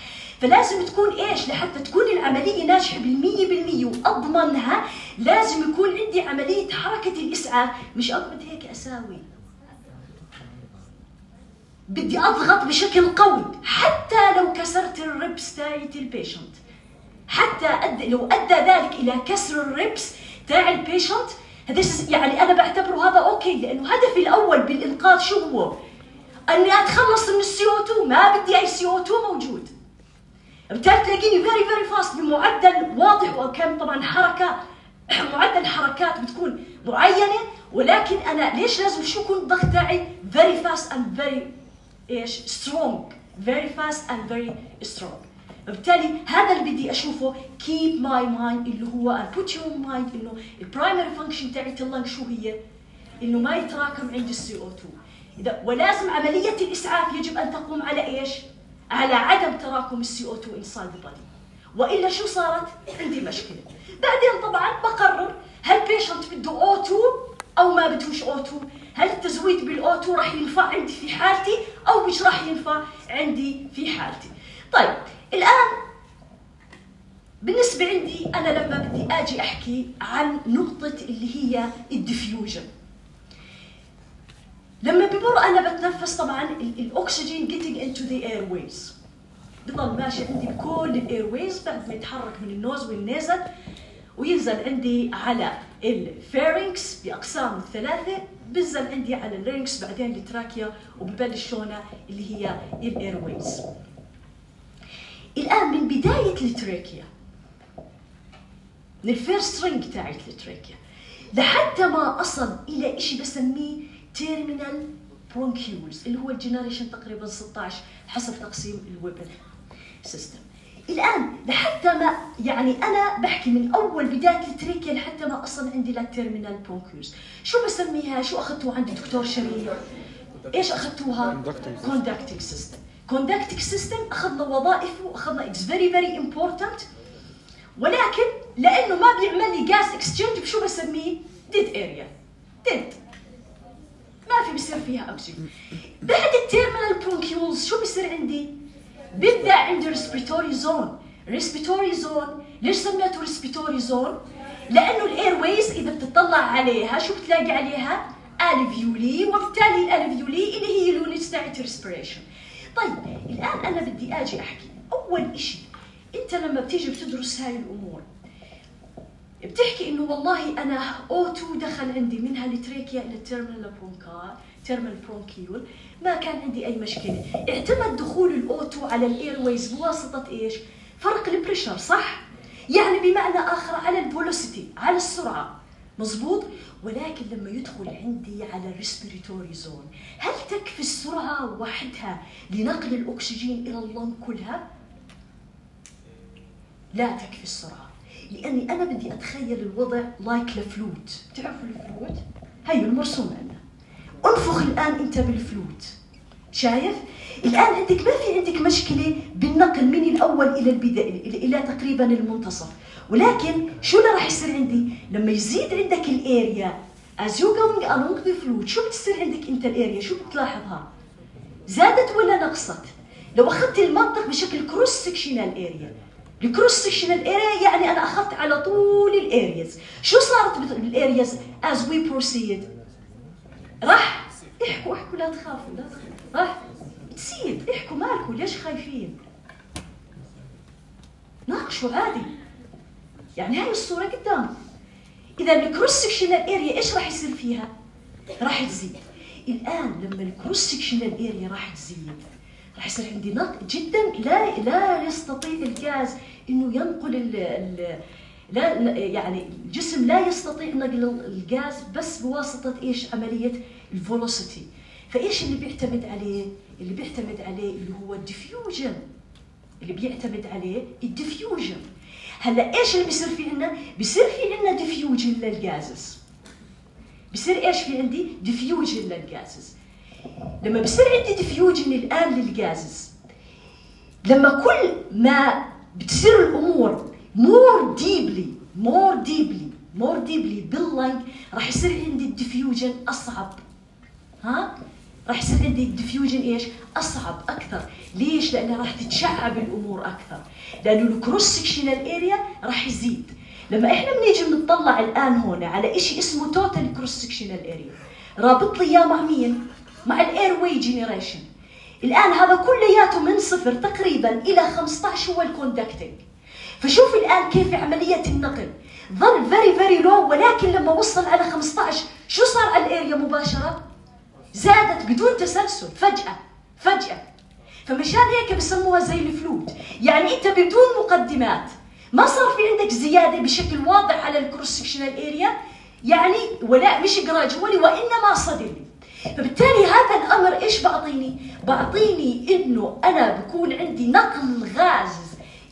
Speaker 1: فلازم تكون إيش؟ لحتى تكون العملية ناجحة بالمية وأضمنها لازم يكون عندي عملية حركة الإسعاف. مش أقعد هيك أساوي، بدي أضغط بشكل قوي حتى لو كسرت الربس تاعت البيشنت، حتى لو أدى ذلك إلى كسر الربس تاع البيشنت هذا يعني أنا بعتبره هذا أوكي، لأنه هدفي الأول بالإنقاذ شو هو؟ أني أتخلص من السي او 2، ما بدي أي سي او 2 موجود. بالتالي تلاقيني very fast بمعدل واضح، وكم طبعا معدل حركات بتكون معينة، ولكن أنا ليش لازم شو يكون الضغط تاعي very fast and very إيش strong very fast and very strong. بالتالي هذا اللي بدي أشوفه keep my mind اللي هو put your mind إنه البرايمري فانكشن تاعت اللنج شو هي؟ إنه ما يتراكم عند السي او 2. ولازم عملية الإسعاف يجب أن تقوم على إيش؟ على عدم تراكم السي او 2 inside the body، وإلا شو صارت؟ عندي مشكلة. بعدين طبعا بقرر هل بيشنت بده O2 أو ما بدهوش O2، هل التزويد بالO2 راح ينفع عندي في حالتي أو مش راح ينفع عندي في حالتي. طيب الآن بالنسبة عندي أنا لما بدي أجي أحكي عن نقطة اللي هي الديفيوجن، لما بمر أنا بتنفس طبعا الأكسجين getting into the airways بضل ماشي عندي بكل الايرويز بعد ما يتحرك من النوز والنيزل وينزل عندي على الفيرنكس بأقسام الثلاثة، بنزل عندي على اللينكس بعدين التراكيا وببلش هنا اللي هي الايرويز. الآن من بداية التراكيا من الفيرست رينج تاعت التراكيا لحتى ما أصل إلى إشي بسميه تيرمينال برونكيولز اللي هو الجنريشن تقريبا 16 حسب تقسيم الويبن سيستم. الآن لحتى ما يعني أنا بحكي من أول بداية التريكيا لحتى ما أصل عندي للتيرمينال برونكيولز. شو بسميها؟ شو أخذتوها عند دكتور شريف؟ إيش أخذتوها؟ كوندكتيك سيستم. كوندكتيك سيستم أخذنا وظائفه وأخذنا it's very very important، ولكن لأنه ما بيعمل لي جاز اكسشينج بشو بسميه؟ ديد اريا. ديد ما في بصير فيها أكسجين. بعد التيرمينال برونكيولز شو بصير عندي؟ ببدأ عندي ريسبيراتوري زون. ريسبيراتوري زون ليش سميته ريسبيراتوري زون؟ لأنه الاير ويز إذا بتطلع عليها شو بتلاقي عليها؟ الفيولي، وبالتالي الالفيولي اللي هي اليونتس تاعت ريسبيريشن. طيب الآن أنا بدي أجي أحكي أول إشي، أنت لما بتيجي بتدرس هاي الأمور بتحكي إنه والله أنا O2 دخل عندي منها التريكيا إلى التيرمينال برونكيول، ما كان عندي أي مشكلة. اعتمد دخول الأو2 على الإيرويز بواسطة إيش؟ فرق البريشر، صح؟ يعني بمعنى آخر على الفولوسيتي، على السرعة، مزبوط؟ ولكن لما يدخل عندي على الريسبيراتوري زون، هل تكفي السرعة وحدها لنقل الأكسجين إلى اللنج كلها؟ لا تكفي السرعة، لأني أنا بدي أتخيل الوضع لايك الفلوت. تعرفوا الفلوت؟ هي المرسوم عندنا. انفخ الآن أنت بالفلوت، شايف؟ الآن عندك ما في عندك مشكلة بالنقل من الأول إلى البداية إلى تقريبا المنتصف، ولكن شو اللي راح يصير عندي؟ لما يزيد عندك الاريا as you going along the fluid، شو بتصير عندك أنت الاريا؟ شو بتلاحظها؟ زادت ولا نقصت؟ لو أخذت المنطق بشكل كروس سكشنال اريا، الكروس سكشنال اريا يعني أنا أخذت على طول الارياز، شو صارت بالارياز as we proceed؟ راح احكوا لا تخافوا، لا تخافوا، راح تزيد. احكوا مالكم، ليش خايفين؟ ناقشوا عادي، يعني هاي الصورة قدامكم. إذا الكروس سكشنال اريا إيش راح يصير فيها؟ راح تزيد. الآن لما الكروس سكشنال اريا راح تزيد، راح يصير عندي نقل جدا لا يستطيع الغاز إنه ينقل لا يعني الجسم لا يستطيع نقل الغاز بس بواسطة إيش؟ عملية الفولوسيتي. فإيش اللي بيعتمد عليه؟ اللي بيعتمد عليه اللي هو الديفيوجن. اللي بيعتمد عليه الديفيوجن. هلا إيش اللي بيصير في عنا؟ بيصير في عنا ديفيوجن للغازز. بيصير إيش في عندي؟ ديفيوجن للغازز. لما بيصير عندي ديفيوجن الآن للغازز، لما كل ما بتصير الأمور more deeply باللنج، راح يصير عندي الديفيوجن أصعب. راح يصير عندي الديفيوجن إيش؟ أصعب أكثر. ليش؟ لأنها راح تتشعب الأمور أكثر، لأنه الكروس سكشنال اريا راح يزيد. لما إحنا بنيجي بنطلع الآن هون على إشي اسمه توتال كروس سكشنال اريا، رابط لي إياه مع مين؟ مع الاير واي جينيريشن. الآن هذا كلياته من 0 تقريبا إلى 15 هو الكوندكتنج. فشوف الآن كيف عملية النقل ظل very low، ولكن لما وصل على 15 شو صار على الاريا مباشرة؟ زادت بدون تسلسل، فجأة. فمشان هيك بسموها زي الفلوت، يعني انت بدون مقدمات ما صار في عندك زيادة بشكل واضح على الكروس سكشنال اريا، يعني ولا مش جراجولي وإنما صدري. فبالتالي هذا الأمر إيش بعطيني إنه أنا بكون عندي نقل غاز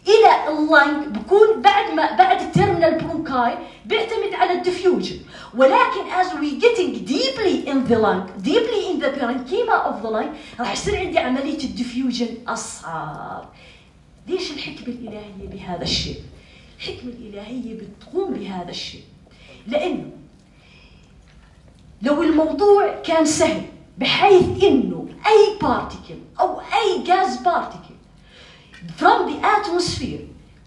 Speaker 1: إلى اللنج، بكون بعد التيرمينال برونكاي بيعتمد على الديفيوجن، ولكن as we getting deeply in the lung, deeply in the parenchyma of the lung، راح يصير عندي عملية الديفيوجن أصعب. ليش الحكمة الإلهية بهذا الشيء؟ الحكمة الإلهية بتقوم بهذا الشيء لأنه لو الموضوع كان سهل بحيث إنه أي particle أو أي gas particle from the atmosphere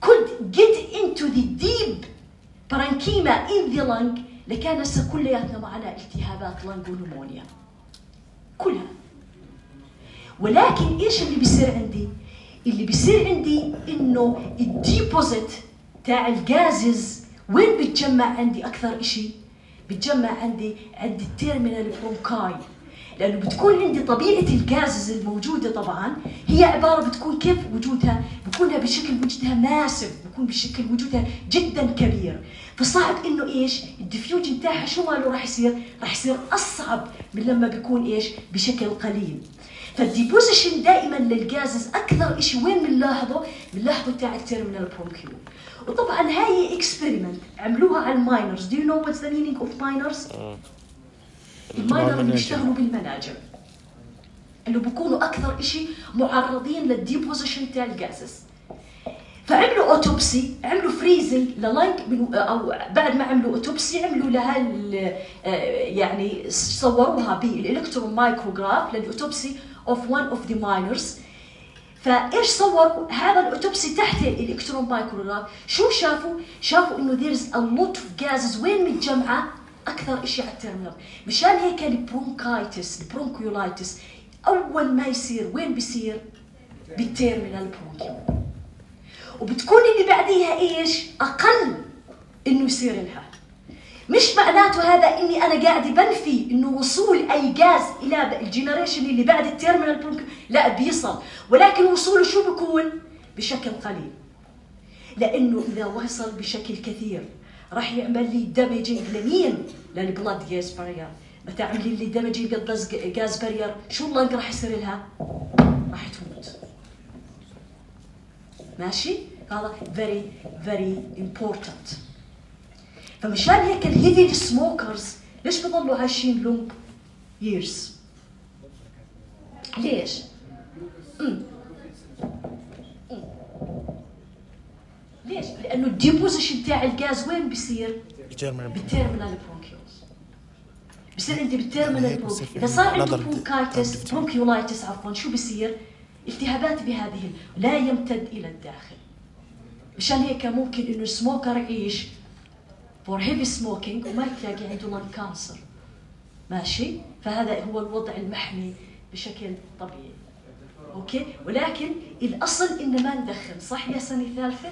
Speaker 1: could get into the deep parenchyma in the lung، لكان كلياتنا معنا التهابات لنج ونمونيا كلها. ولكن إيش اللي بيصير عندي؟ اللي بيصير عندي إنه الديبوزيت تاع الغازز وين بتجمع عندي أكثر إشي؟ بتجمع عند التيرمينال برونكاي. لأنه بتكون عندي طبيعة الجازز الموجودة طبعا هي عبارة بتكون كيف وجودها، بكونها بشكل وجودها ماسف، بكون بشكل وجودها جدا كبير، فصعب إنه إيش الديفيوجن تاعها شو ماله راح يصير أصعب من لما بيكون إيش بشكل قليل. فالديبوزيشن دائما للجازز أكثر إشي وين بنلاحظه تاع التيرمينال برونكيول. وطبعا هاي اكسبيرمنت عملوها على الماينرز. Do you know what's the meaning of miners؟ الماينر اللي بيشتغلوا بالمناجم اللي بيكونوا أكثر إشي معرضين للديبوزيشن تاع الجازز. فعملوا اوتوبسي، عملوا فريزنج للايك او بعد ما عملوا اوتوبسي عملوا لها يعني صوروها بالالكترون مايكروغراف للاوتوبسي اوف one of the miners. فايش صوروا هذا الاوتوبسي تحت الالكترون مايكروغراف؟ شو شافوا انه there's a lot of gases وين متجمعه اكثر شيء على التيرمينال. مشان هيك البرونكيولايتس اول ما يصير وين بيصير؟ بالتيرمينال برونكيول. وبتكون اللي بعديها ايش؟ اقل انه يصير لها. مش معناته هذا اني انا قاعد بنفي انه وصول اي غاز الى الجنريشن اللي بعد التيرمينال برونكيول، لا بيصل، ولكن وصوله شو بيكون؟ بشكل قليل. لانه اذا وصل بشكل كثير راح يعمل لي دامجينج لمين؟ للبلاد جاز بارير. متى عمل لي دامجينج جاز بارير شو اللنج راح يصير لها؟ راح تموت. ماشي؟ هذا very very important. فمشان هيك الهيفي سموكرز ليش بضلوا عايشين لونج ييرز؟ ليش؟ ليش؟ لأنه الديبوزيشن تاع الغاز وين بيصير؟ بالتيرمينال برونكيولز. بصير عندي بالتيرمينال برونكيولز. إذا صار عنده برونكيولايتس عفوا شو بيصير؟ التهابات بهذه لا يمتد إلى الداخل. مشان هيك ممكن إنه السموكر يعيش for heavy smoking وما تلاقي عنده lung cancer. ماشي؟ فهذا هو الوضع المحمي بشكل طبيعي. أوكي؟ ولكن الأصل إن ما ندخن، صح يا سنة ثالثة؟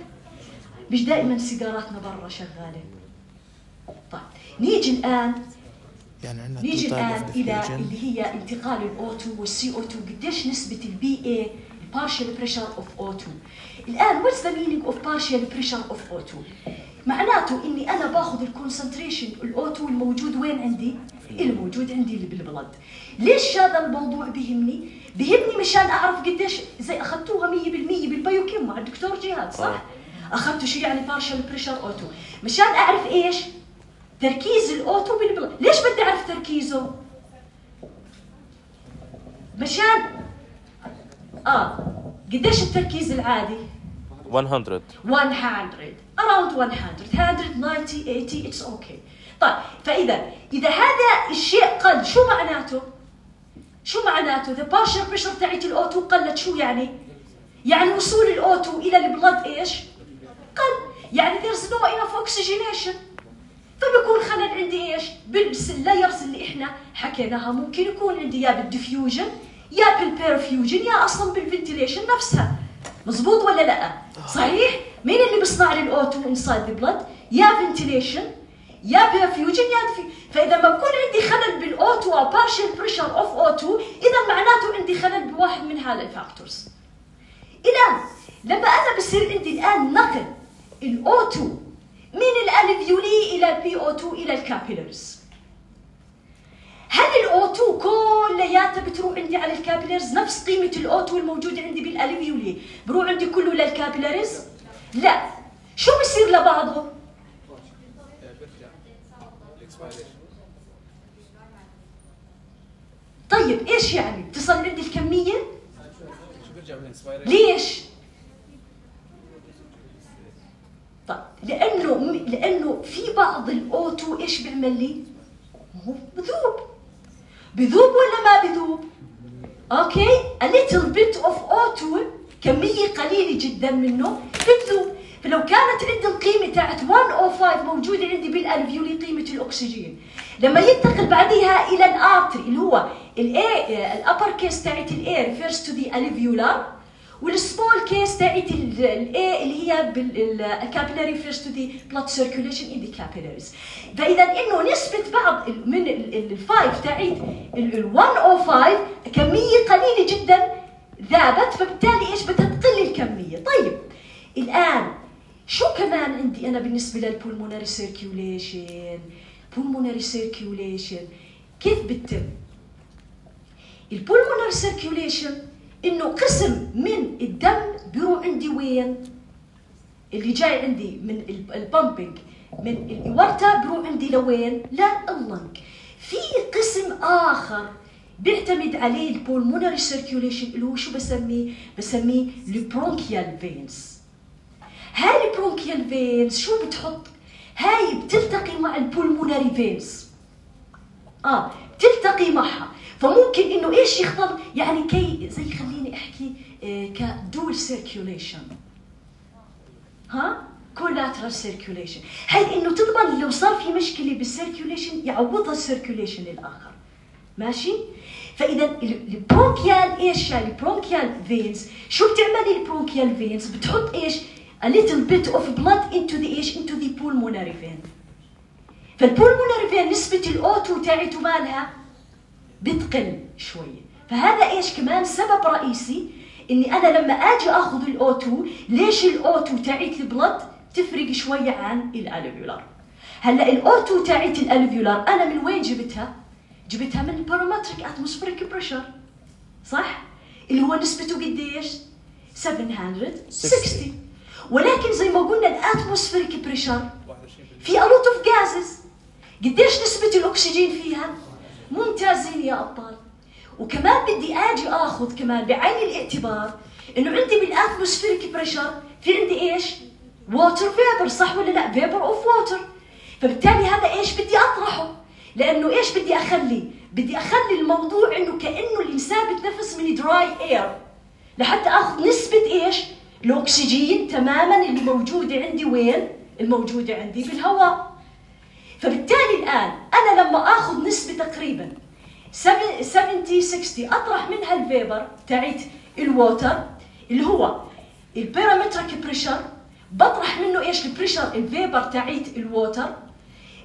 Speaker 1: مش دائما سيجاراتنا برا شغالة. طيب نيجي الآن إلى اللي هي انتقال الأو2 والCO2. قديش نسبة الBA partial pressure of O2. الآن what's the meaning of partial pressure of O2؟ معناته إني أنا باخذ الكونسنتريشن الأو2 الموجود وين عندي؟ الموجود عندي اللي بالبلد. ليش هذا الموضوع بيهمني؟ بيهمني مشان أعرف قديش زي أخذتوها 100% بالبايوكيم مع الدكتور جهاد صح؟ أخذتوا شيء يعني partial pressure O2 مشان أعرف إيش؟ تركيز الأو2 بالبلد. ليش بدي أعرف تركيزه؟ مشان قديش التركيز العادي؟
Speaker 2: 100
Speaker 1: around 190 80 it's okay. طيب إذا هذا الشيء قل شو معناته؟ the partial pressure تاعت الأو2 قلت. شو يعني؟ يعني وصول الأو2 إلى البلد إيش؟ قل. يعني there's no enough oxygenation. فبيكون خلل عندي إيش؟ باللايرز اللي إحنا حكيناها. ممكن يكون عندي يا بالديفيوجن يا بالبيرفيوجن يا أصلاً بالفنتيليشن نفسها. مزبوط ولا لا؟ صحيح؟ مين اللي بيصنع لي الأو2 inside the blood؟ يا ventilation يا بيرفيوجن يا فإذا ما بكون عندي خلل بالأو2 أو partial pressure of O2 إذا معناته عندي خلل بواحد من هذه الفاكتورز. الآن لما أنا بصير عندي الآن نقل الأو2 من الألفيولي إلى الPO2 إلى الكابيلاريز، هل الأو2 كلياتها بتروح عندي على الكابيلاريز نفس قيمة الأو2 الموجودة عندي بالألفيولي بروح عندي كله للكابيلاريز؟ لا. شو بصير لبعضه؟ طيب ايش يعني؟ بتصل عندي الكمية؟ ليش؟ طيب لأنه في بعض الأو2 ايش بيعمل لي؟ هو بذوب ولا ما بذوب؟ اوكي؟ a little bit of O2 كمية قليلة جدا منه بتذوب. فلو كانت عندي القيمة تاعت 105 موجودة عندي بالألفيولي قيمة الأكسجين، لما ينتقل بعدها إلى الآرتري اللي هو الأبر كيس تاعت الإيه refers to the alveolar والسمول كيس تاعت الاي اللي هي بالكابيلاري فيرست تو ذا بلاد سيركيوليشن ان ذا كابيلاريز. فاذا انه نسبه بعض من ال5 تاعت ال105 كميه قليله جدا ذابت، فبالتالي ايش بدها تقل الكميه. طيب الان شو كمان عندي انا بالنسبه للبولمونري سيركيوليشن؟ pulmonary circulation كيف بتتم؟ البولمونري سيركيوليشن انه قسم من الدم بيروح عندي وين؟ اللي جاي عندي من البامبينج من الاورتا بيروح عندي لوين؟ لللنج. في قسم اخر بيعتمد عليه البولمونري سيركيوليشن اللي هو شو بسميه البرونكيال فينز. هاي البرونكيال فينز شو بتحط؟ هاي بتلتقي مع البولمونري فينز، بتلتقي معها، فممكن انه ايش يختار يعني كي زي خليني احكي كدول سيركيوليشن، كولاترال سيركيوليشن، هاي انه تضمن لو صار في مشكله بالسيركيوليشن يعوضها السيركيوليشن الاخر، ماشي؟ فاذا البرونكيال ايش يعني البرونكيال فينز شو بتعمل البرونكيال فينز؟ بتحط ايش؟ a little bit of blood into the ايش؟ into the pulmonary vein. فالبولمونري فين نسبة الأوتو تاعته مالها بتقل شوية، فهذا ايش كمان سبب رئيسي اني انا لما اجي اخذ الأوتو، ليش الأوتو تاعت البلد تفرق شوية عن الالفيولار. هلا الأوتو تاعت الالفيولار انا من وين جبتها؟ جبتها من البارامتريك اتموسفيريك بريشر، صح؟ اللي هو نسبته قديش؟ 760. ولكن زي ما قلنا الاتموسفيريك بريشر في a lot of gases، قديش نسبة الأكسجين فيها؟ ممتازين يا أبطال. وكمان بدي أجي أخذ كمان بعين الاعتبار إنه عندي بالاتموسفيريك بريشر في عندي إيش؟ ووتر فيبر، صح ولا لا؟ فيبر أوف ووتر. فبالتالي هذا إيش بدي أطرحه؟ لأنه إيش بدي أخلي؟ بدي أخلي الموضوع إنه كأنه الإنسان بتنفس من دراي إير لحتى أخذ نسبة إيش؟ الأكسجين تماماً اللي موجودة عندي وين؟ الموجودة عندي بالهواء. فبالتالي الآن أنا لما أخذ نسبة تقريباً 70-60 أطرح منها الفيبر تاعت الووتر اللي هو البارامتريك بريشر، بطرح منه إيش؟ البريشر الفيبر تاعت الووتر،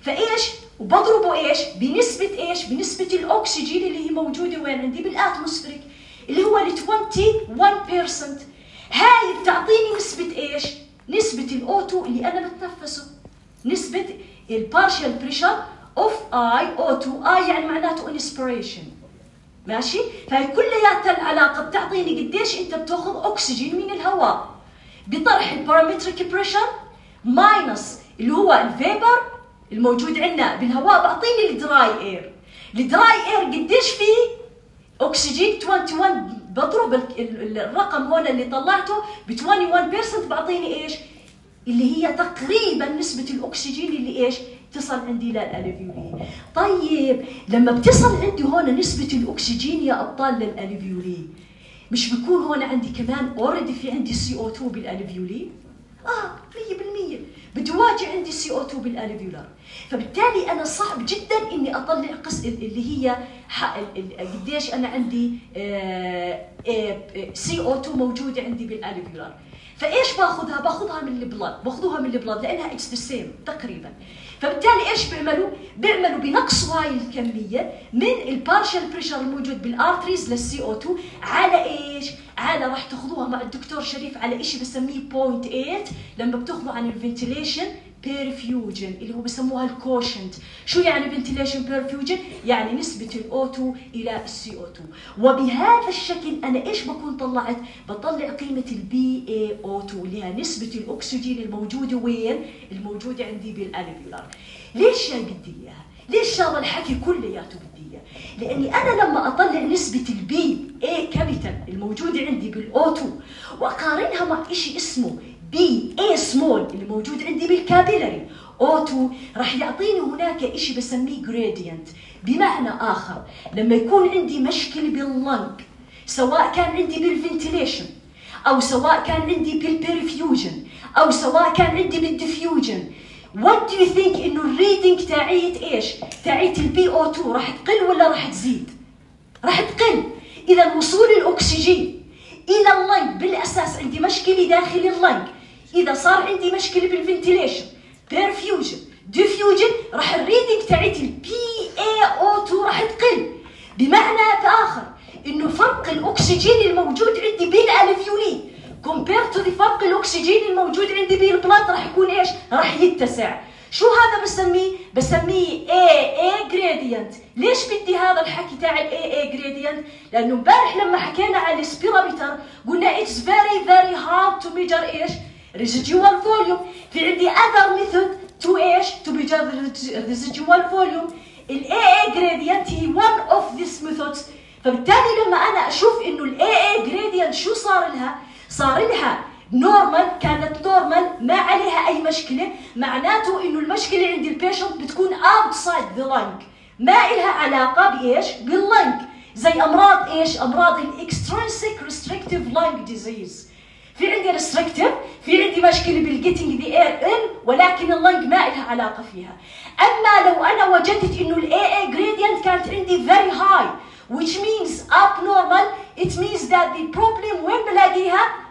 Speaker 1: فإيش؟ وبضربه إيش؟ بنسبة إيش؟ بنسبة الأكسجين اللي هي موجودة وين عندي؟ بالأتموسفيريك اللي هو 21%. هاي بتعطيني نسبة إيش؟ نسبة الأوتو اللي أنا بتنفسه، نسبة البارشال بريشر اوف O2 يعني معناته انسبريشن، ماشي؟ فهي كلياتها العلاقة بتعطيني قديش أنت بتاخذ أكسجين من الهواء بطرح البارامتريك بريشر ماينس اللي هو الفيبر الموجود عندنا بالهواء، بعطيني الدراي اير. الدراي اير قديش فيه؟ أكسجين 21، بضرب الرقم هون اللي طلعته ب 21% بعطيني ايش؟ اللي هي تقريبا نسبة الأكسجين اللي ايش؟ تصل عندي للألفيولي. طيب لما بتصل عندي هون نسبة الأكسجين يا أبطال للألفيولي، مش بيكون هون عندي كمان اوريدي في عندي CO2 بالألفيولي؟ 100% بده واجي عندي CO2 بالألفيولار. فبالتالي أنا صعب جدا إني أطلع قسم اللي هي قديش أنا عندي CO2 موجودة عندي بالألفيولار. فإيش باخذها؟ باخذها من البلاد، باخذوها من البلاد لأنها it's the same تقريبا. فبالتالي إيش بيعملوا؟ بيعملوا بنقصوا هاي الكمية من البارشال بريشر الموجود بالارتريز للCO2 على إيش؟ على راح تاخذوها مع الدكتور شريف على إشي بسميه 0.8 لما بتاخذوا عن الفنتيليشن بيرفيوجن اللي هو بسموها الكوشنت. شو يعني فنتيليشن بيرفيوجن؟ يعني نسبة الO2 إلى الCO2. وبهذا الشكل أنا إيش بكون طلعت؟ بطلع قيمة BaO2 اللي هي نسبة الأكسجين الموجودة وين؟ الموجودة عندي بالألفيولار. ليش يعني بدي إياها؟ ليش هذا الحكي كلياته بدي إياه؟ لأني أنا لما أطلع نسبة BA كابيتال الموجودة عندي بالO2 وأقارنها مع إشي اسمه BA small اللي موجود عندي بالكابيلاري O2 راح يعطيني هناك إشي بسميه gradient. بمعنى آخر لما يكون عندي مشكلة باللنج سواء كان عندي بالفنتيليشن أو سواء كان عندي بالبيرفيوجن أو سواء كان عندي بالديفيوجن، what do you think إنه الريدنج تاعيت إيش؟ تاعيت الBO2 راح تقل ولا راح تزيد؟ راح تقل. إذا وصول الأكسجين الى اللنج. بالاساس عندي مشكله داخل اللنج. اذا صار عندي مشكله بالفنتيليشن، بيرفيوجن، ديفيوجن، راح الريدنج تاعت PaO2 راح تقل. بمعنى اخر انه فرق الاكسجين الموجود عندي بالالفيولي compared to فرق الاكسجين الموجود عندي بالبلاد راح يكون ايش؟ راح يتسع. شو هذا بسميه AA gradient. ليش بدي هذا الحكي تاع AA gradient؟ لانه امبارح لما حكينا على السبيرومتر قلنا it's very hard to measure ايش؟ residual volume. في عندي other method to ايش؟ to measure residual volume. ال AA gradient هي one of these methods. فبالتالي لما انا اشوف انه ال AA gradient شو صار لها؟ صار لها نورمال، كانت نورمال ما عليها اي مشكله، معناته انه المشكله عند البيشنت بتكون outside the lung، ما إلها علاقه بايش؟ باللنج. زي امراض ايش؟ امراض الاكسترنسيك ريستريكتيف لانج ديزيز. في عندي ريستريكتيف، في عندي مشكله بالجيتنج ذا اير ان، ولكن اللنج ما إلها علاقه فيها. اما لو انا وجدت انه ال AA gradient كانت عندي very high which means abnormal, it means that the problem وين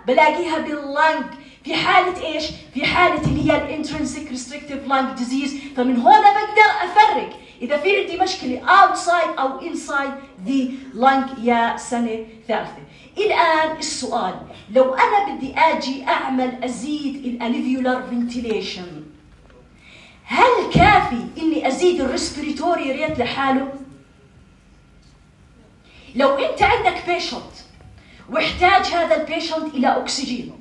Speaker 1: بلاقيها باللنج. في حالة ايش؟ في حالة اللي هي الانترنسيك ريستريكتيف لانج ديزيز. فمن هنا بقدر افرق اذا في عندي مشكلة outside او inside the lung يا سنة ثالثة. الان السؤال، لو انا بدي اجي اعمل ازيد الالفيولار فنتيليشن، هل كافي اني ازيد الريسبيريتوري ريت لحاله؟ لو انت عندك بيشنت واحتاج هذا البيشنت الى اكسجين،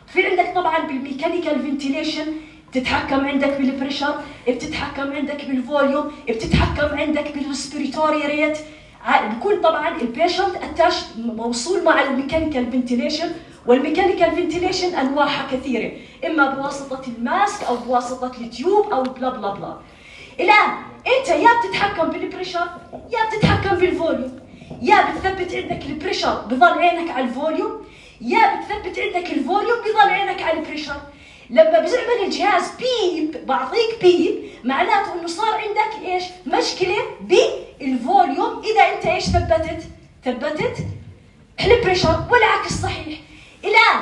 Speaker 1: في عندك طبعا بالميكانيكال فنتيليشن بتتحكم عندك بالبريشر، بتتحكم عندك بالفوليوم، بتتحكم عندك بالريسبيريتوري ريت. بكون طبعا البيشنت اتاش موصول مع الميكانيكال فنتيليشن، والميكانيكال فنتيليشن انواعها كثيره، اما بواسطه الماسك او بواسطه التيوب او بلا بلا بلا. الان انت يا بتتحكم بالبريشر يا بتتحكم بالفوليوم، يا بتثبت عندك البريشر بضل عينك على الفوليوم، يا بتثبت عندك الفوليوم بضل عينك على البريشر. لما بيعمل الجهاز بيب، بعطيك بيب، معناته انه صار عندك ايش؟ مشكله بالفوليوم. اذا انت ايش ثبتت البريشر، والعكس صحيح. الان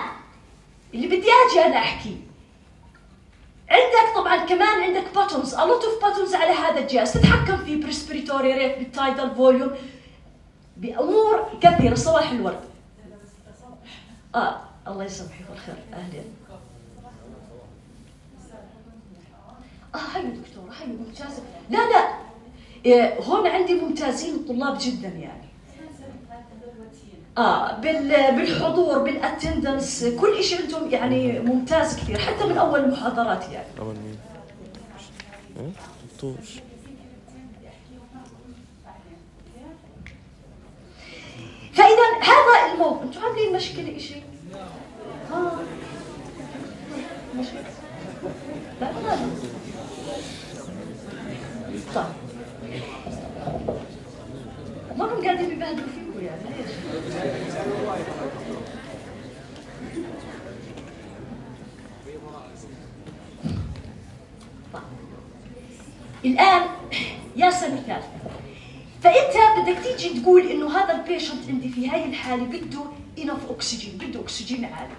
Speaker 1: اللي بدي اجي انا احكي، عندك طبعا كمان عندك باتونز، a lot of buttons على هذا الجهاز تتحكم فيه بريسبيريتوري ريت، بالتايدال فوليوم، بأمور كثيرة. صباح الورد. الله يسامحك والخير. أهلا. حلو دكتورة، حلو، ممتازة. لا هون عندي ممتازين الطلاب جدا يعني. بالحضور، بالاتندنس، كل شيء عندهم يعني ممتاز كثير، حتى من أول المحاضرات يعني.
Speaker 2: أول مين؟ دكتور.
Speaker 1: فإذا هذا الموضوع، أنتم عاملين مشكلة شيء؟ مشكلة؟ لا طيب، ما هم قاعدين بيبهدلوا فيكم يعني ليش؟ طيب. الآن يا سنة ثالثة، فانت بدك تيجي تقول انه هذا البيشنت عندي في هاي الحاله بده انف اكسجين، بده اكسجين عالي.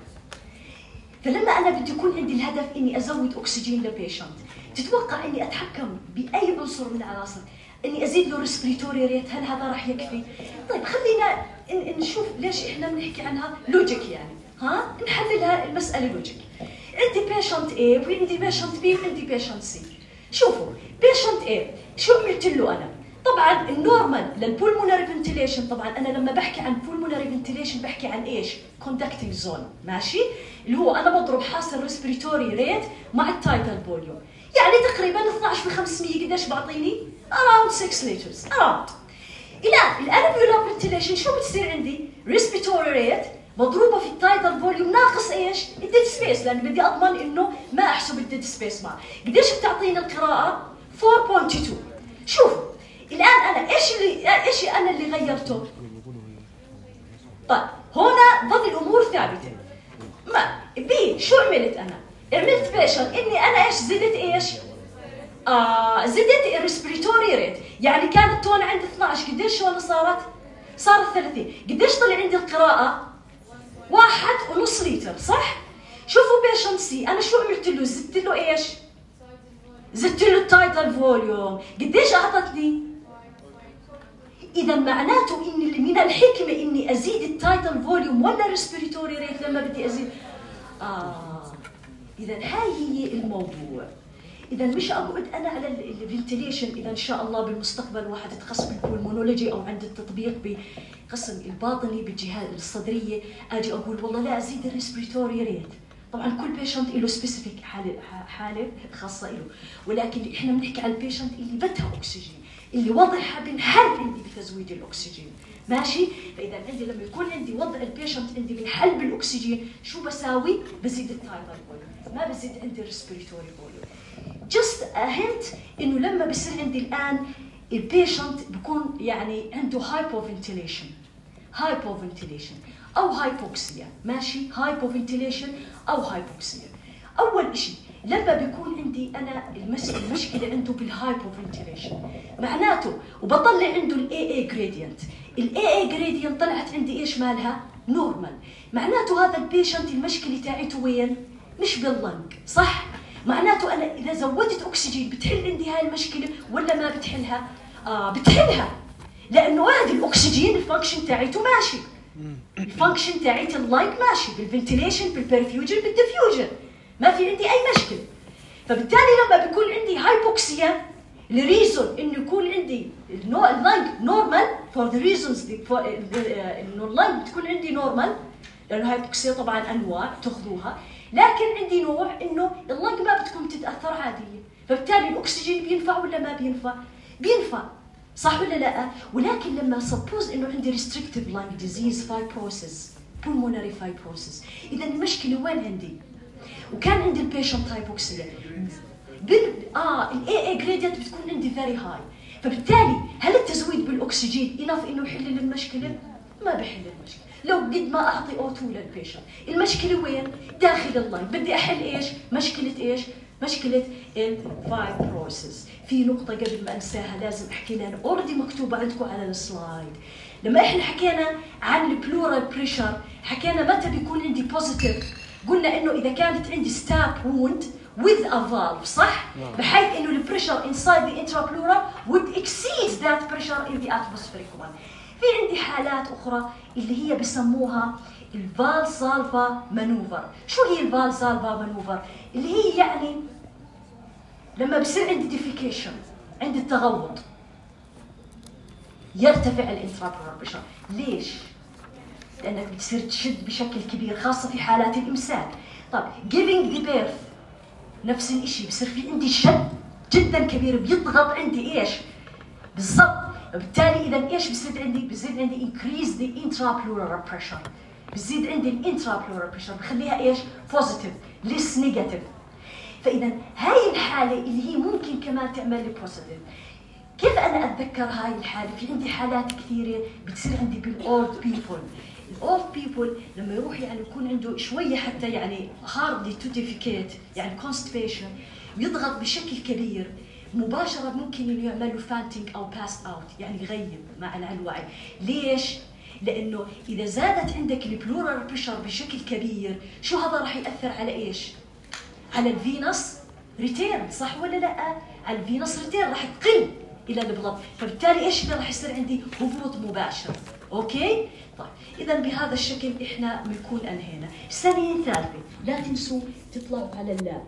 Speaker 1: فلما انا بدي يكون عندي الهدف اني ازود اكسجين لبيشنت، تتوقع اني اتحكم باي عنصر من العناصر، اني ازيد له ريسبيريتوري ريت، هل هذا راح يكفي؟ طيب خلينا نشوف ليش احنا بنحكي عنها لوجيك يعني، نحللها المساله لوجيك. عندي بيشنت A وعندي بيشنت B وعندي بيشنت C. شوفوا بيشنت A شو عملت له انا؟ طبعا النورمال للبولمونري فنتيليشن، طبعا انا لما بحكي عن بولمونري فنتيليشن بحكي عن ايش؟ كوندكتنج زون، ماشي؟ اللي هو انا بضرب حاصل ريسبيريتوري ريت مع التايتال فوليوم، يعني تقريبا 12/500 قديش بعطيني؟ around 6 liters around. الان الالفيولار فنتيليشن شو بتصير عندي؟ ريسبيريتوري ريت مضروبه في التايتال فوليوم ناقص ايش؟ الديد سبيس، لان بدي اضمن انه ما احسب الديد سبيس معه. قديش بتعطيني القراءه؟ 4.2. شوفوا الان انا ايش انا اللي غيرته؟ طيب هنا ظل الامور ثابته. ما بي شو عملت انا؟ عملت بيشن اني انا ايش زدت ايش؟ زدت الريسبيريتوري ريت، يعني كانت تون عند 12 قديش هون صارت 30. قديش طلع عندي القراءه؟ 1.5 لتر صح؟ شوفوا بيشنت سي انا شو عملت له؟ زدت له ايش؟ زدت له التايتل فوليوم. قديش اعطتني؟ اذا معناته ان من الحكمه اني ازيد التايتل فوليوم ولا الريسبيراتوري ريت لما بدي ازيد؟ اذا هاي هي الموضوع. اذا مش اقعد انا على الفنتيليشن. اذا ان شاء الله بالمستقبل واحد يتخصص بالبولمونولوجي او عند التطبيق بقسم الباطني بالجهاز الصدريه، اجي اقول والله لا ازيد الريسبيراتوري ريت. طبعا كل بيشنت له سبيسيفيك حاله خاصه له، ولكن احنا بنحكي على البيشنت اللي بدها اكسجين، اللي وضعها بنحل عندي بتزويد الاكسجين، ماشي؟ فاذا عندي لما يكون عندي وضع البيشنت عندي بنحل بالاكسجين، شو بساوي؟ بزيد التايتل فوليوم، ما بزيد عندي الريسبيراتوري فوليوم. جست هنت انه لما بصير عندي الان البيشنت بكون يعني عنده هايبوفنتيليشن او هايبوكسيا، ماشي؟ هايبوفنتيليشن او هايبوكسيا. اول شيء لما بيكون عندي انا المشكله عنده بالهايبوفنتيليشن معناته وبطلع عنده الاي جريدينت. الاي جريدينت طلعت عندي ايش مالها؟ نورمال. معناته هذا البيشنت المشكله تاعته وين؟ مش باللنج، صح؟ معناته انا اذا زودت اكسجين بتحل عندي هاي المشكله ولا ما بتحلها؟ بتحلها، لانه هذا الاكسجين الفانكشن تاعته ماشي، الفانكشن تاعت اللايك ماشي بالفنتيليشن بالبرفيوجن بالديفيوجن، ما في عندي اي مشكله. فبالتالي لما بيكون عندي هايبوكسيا الريزون انه يكون عندي اللايك نورمال فور ذا ريزونز انه اللايك بتكون عندي نورمال، لانه هايبوكسيا طبعا انواع تاخذوها، لكن عندي نوع انه اللايك ما بتكون تتاثر عاديه، فبالتالي الاكسجين بينفع ولا ما بينفع؟ بينفع، صح ولا لا؟ ولكن لما سبوز انه عندي ريستريكتيف لانج ديزيز فايبروسيس بولمونري فايبروسيس، اذا المشكله وين عندي؟ وكان عندي البيشنت هايبوكسيا الاي جريدينت بتكون عندي فيري هاي، فبالتالي هل التزويد بالاكسجين انف انه يحل لي المشكله؟ ما بحل المشكله، لو قد ما اعطي O2 للبيشنت. المشكله وين؟ داخل اللاين. بدي احل ايش؟ مشكله ايش؟ مشكله الفايبروسيس. في نقطه قبل ما انساها لازم احكي لها، اوريدي مكتوبه عندكم على السلايد. لما احنا حكينا عن البلورال بريشر حكينا متى بيكون عندي بوزيتيف، قلنا انه اذا كانت عندي ستاب ووند with a valve، صح؟ بحيث انه البريشر inside the intrapleural would exceed that pressure in the atmospheric one. في عندي حالات اخرى اللي هي بسموها الفالسالفا مانوفر. شو هي الفالسالفا مانوفر؟ اللي هي يعني لما بصير عندي ديفيكيشن، عندي التغوط، يرتفع الانترابلورال بريشر. ليش؟ لانك بتصير تشد بشكل كبير خاصه في حالات الامساك. طب giving the birth نفس الشيء، بصير في عندي شد جدا كبير بيضغط عندي ايش؟ بالضبط. وبالتالي اذا ايش بصير عندي؟ بزيد عندي increase the intrapleural pressure، بزيد عندي الانترابلورال بريشر، بخليها ايش؟ بوزيتيف ليس نيجاتيف. فاذا هاي الحاله اللي هي ممكن كمان تعمل لي بوزيتيف. كيف انا اتذكر هاي الحاله؟ في عندي حالات كثيره بتصير عندي بالاولد بيبل. الاولد بيبل لما يروح يعني يكون عنده شويه حتى يعني هاردلي تو ديفيكيت، يعني كونستيبيشن، ويضغط بشكل كبير، مباشره ممكن انه يعمل له فانتينج او باس اوت، يعني يغيب مع الوعي. ليش؟ لانه اذا زادت عندك البلورال بريشر بشكل كبير، شو هذا راح ياثر على ايش؟ على الفينس ريتيرن، صح ولا لا؟ على الفينس ريتيرن راح تقل الى البلد، فبالتالي ايش اللي راح يصير عندي؟ هبوط مباشر. اوكي؟ طيب اذا بهذا الشكل احنا بنكون انهينا. الثانيه الثالثه لا تنسوا تطلعوا على اللاب.